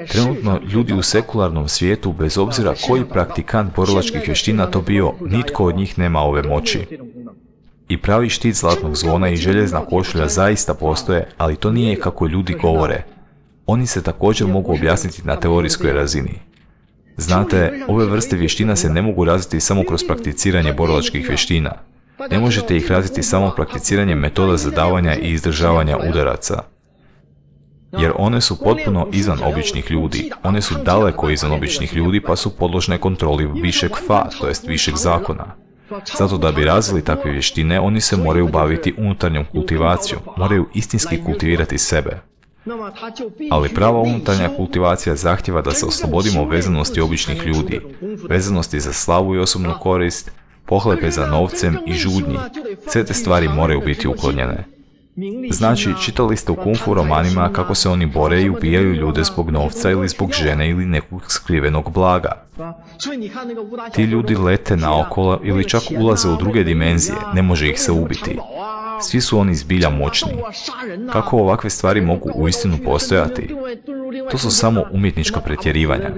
Trenutno ljudi u sekularnom svijetu, bez obzira koji praktikant borilačkih vještina to bio, nitko od njih nema ove moći. I pravi štit zlatnog zvona i željezna košulja zaista postoje, ali to nije kako ljudi govore. Oni se također mogu objasniti na teorijskoj razini. Znate, ove vrste vještina se ne mogu razviti samo kroz prakticiranje borilačkih vještina. Ne možete ih razviti samo prakticiranjem metoda zadavanja i izdržavanja udaraca. Jer one su potpuno izvan običnih ljudi. One su daleko izvan običnih ljudi pa su podložne kontroli višeg fa, to jest višeg zakona. Zato da bi razvili takve vještine, oni se moraju baviti unutarnjom kultivacijom, moraju istinski kultivirati sebe. Ali prava unutarnja kultivacija zahtjeva da se oslobodimo vezanosti običnih ljudi, vezanosti za slavu i osobnu korist, pohlepe za novcem i žudnji. Sve te stvari moraju biti uklonjene. Znači, čitali ste u kung fu romanima kako se oni bore i ubijaju ljude zbog novca ili zbog žene ili nekog skrivenog blaga. Ti ljudi lete naokolo ili čak ulaze u druge dimenzije, ne može ih se ubiti. Svi su oni zbilja moćni. Kako ovakve stvari mogu uistinu postojati? To su samo umjetnička pretjerivanja.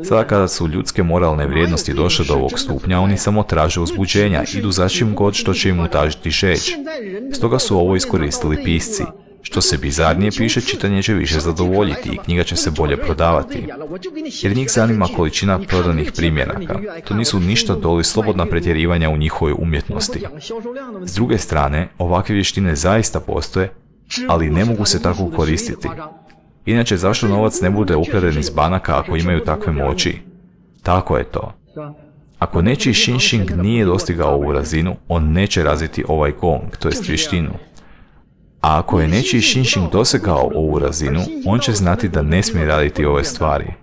Sada kada su ljudske moralne vrijednosti došle do ovog stupnja, oni samo traže uzbuđenja, idu za čim god što će im utažiti žeđ. Stoga su ovo iskoristili pisci. Što se bizarnije piše, čitanje će više zadovoljiti i knjiga će se bolje prodavati. Jer njih zanima količina prodanih primjeraka. To nisu ništa doli slobodna pretjerivanja u njihovoj umjetnosti. S druge strane, ovakve vještine zaista postoje, ali ne mogu se tako koristiti. Inače, zašto novac ne bude ukraden iz banaka ako imaju takve moći? Tako je to. Ako nečiji Xinxing nije dostigao ovu razinu, on neće razviti ovaj gong, to jest vještinu. A ako je nečiji Xinxing dosegao ovu razinu, on će znati da ne smije raditi ove stvari.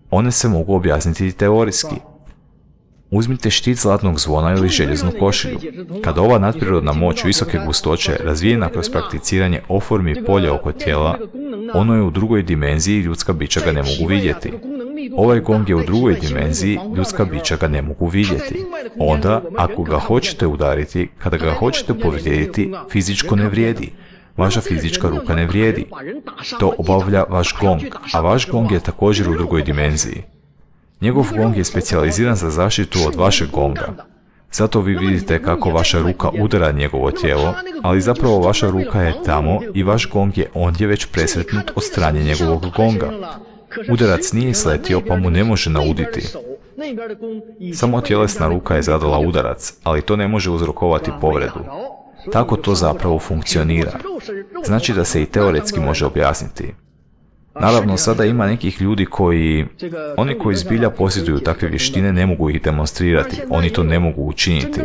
One se mogu objasniti teorijski. Uzmite štit zlatnog zvona ili željeznu košilju. Kada ova nadprirodna moć visoke gustoće, razvijena kroz prakticiranje, oformi polje oko tijela, ono je u drugoj dimenziji i ljudska bića ga ne mogu vidjeti. Ovaj gong je u drugoj dimenziji, ljudska bića ga ne mogu vidjeti. Onda, ako ga hoćete udariti, kada ga hoćete povrijediti, fizičko ne vrijedi. Vaša fizička ruka ne vrijedi. To obavlja vaš gong, a vaš gong je također u drugoj dimenziji. Njegov gong je specijaliziran za zaštitu od vašeg gonga. Zato vi vidite kako vaša ruka udara njegovo tijelo, ali zapravo vaša ruka je tamo i vaš gong je ondje već presretnut od strane njegovog gonga. Udarac nije sletio pa mu ne može nauditi. Samo tjelesna ruka je zadala udarac, ali to ne može uzrokovati povredu. Tako to zapravo funkcionira. Znači da se i teoretski može objasniti. Naravno, sada ima nekih ljudi koji, oni koji zbilja posjeduju takve vještine ne mogu ih demonstrirati, oni to ne mogu učiniti.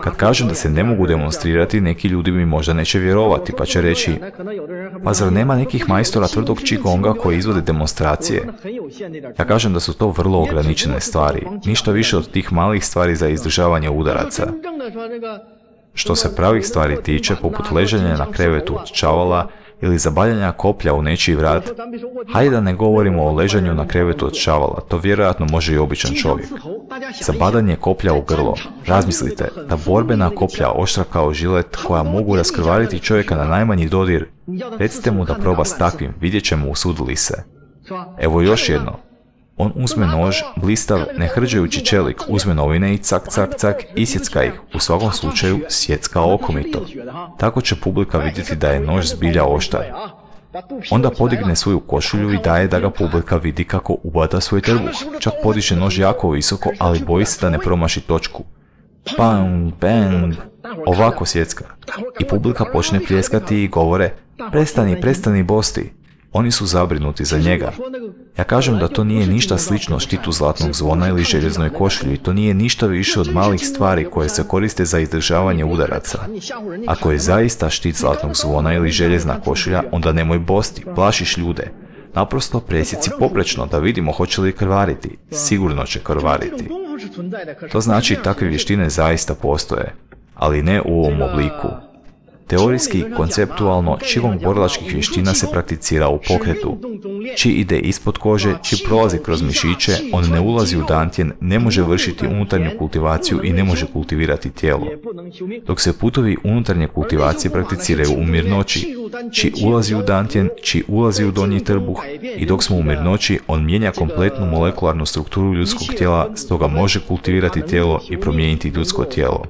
Kad kažem da se ne mogu demonstrirati, neki ljudi mi možda neće vjerovati, pa će reći, pa zar nema nekih majstora tvrdog qigonga koji izvode demonstracije? Ja kažem da su to vrlo ograničene stvari, ništa više od tih malih stvari za izdržavanje udaraca. Što se pravih stvari tiče, poput ležanja na krevetu od čavala, ili zabaljanja koplja u nečiji vrat, hajde da ne govorimo o ležanju na krevetu od čavala, to vjerojatno može i običan čovjek. Zabadanje koplja u grlo. Razmislite, da borbena koplja oštra kao žilet koja mogu raskrvariti čovjeka na najmanji dodir, recite mu da proba s takvim, vidjet ćemo usudi li se. Evo još jedno. On uzme nož, blistav, ne hrđajući čelik, uzme novine i cak, cak, cak, isjecka ih, u svakom slučaju sjecka okomito. Tako će publika vidjeti da je nož zbilja oštar. Onda podigne svoju košulju i daje da ga publika vidi kako ubada svoj trbuh. Čak podiže nož jako visoko, ali boji se da ne promaši točku. Bang, bang, ovako sjecka. I publika počne pljeskati i govore, prestani, prestani bosti. Oni su zabrinuti za njega. Ja kažem da to nije ništa slično štitu zlatnog zvona ili željeznoj košulji, to nije ništa više od malih stvari koje se koriste za izdržavanje udaraca. Ako je zaista štit zlatnog zvona ili željezna košulja, onda nemoj bosti, plašiš ljude. Naprosto presjeci poprečno da vidimo hoće li krvariti. Sigurno će krvariti. To znači takve vještine zaista postoje, ali ne u ovom obliku. Teorijski i konceptualno, qigong borilačkih vještina se prakticira u pokretu. Qi ide ispod kože, qi prolazi kroz mišiće, on ne ulazi u dantjen, ne može vršiti unutarnju kultivaciju i ne može kultivirati tijelo. Dok se putovi unutarnje kultivacije prakticiraju u mirnoći, qi ulazi u dantjen, qi ulazi u donji trbuh i dok smo u mirnoći, on mijenja kompletnu molekularnu strukturu ljudskog tijela, stoga može kultivirati tijelo i promijeniti ljudsko tijelo.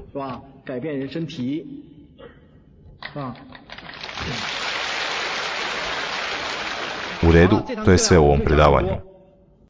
U redu, to je sve u ovom predavanju.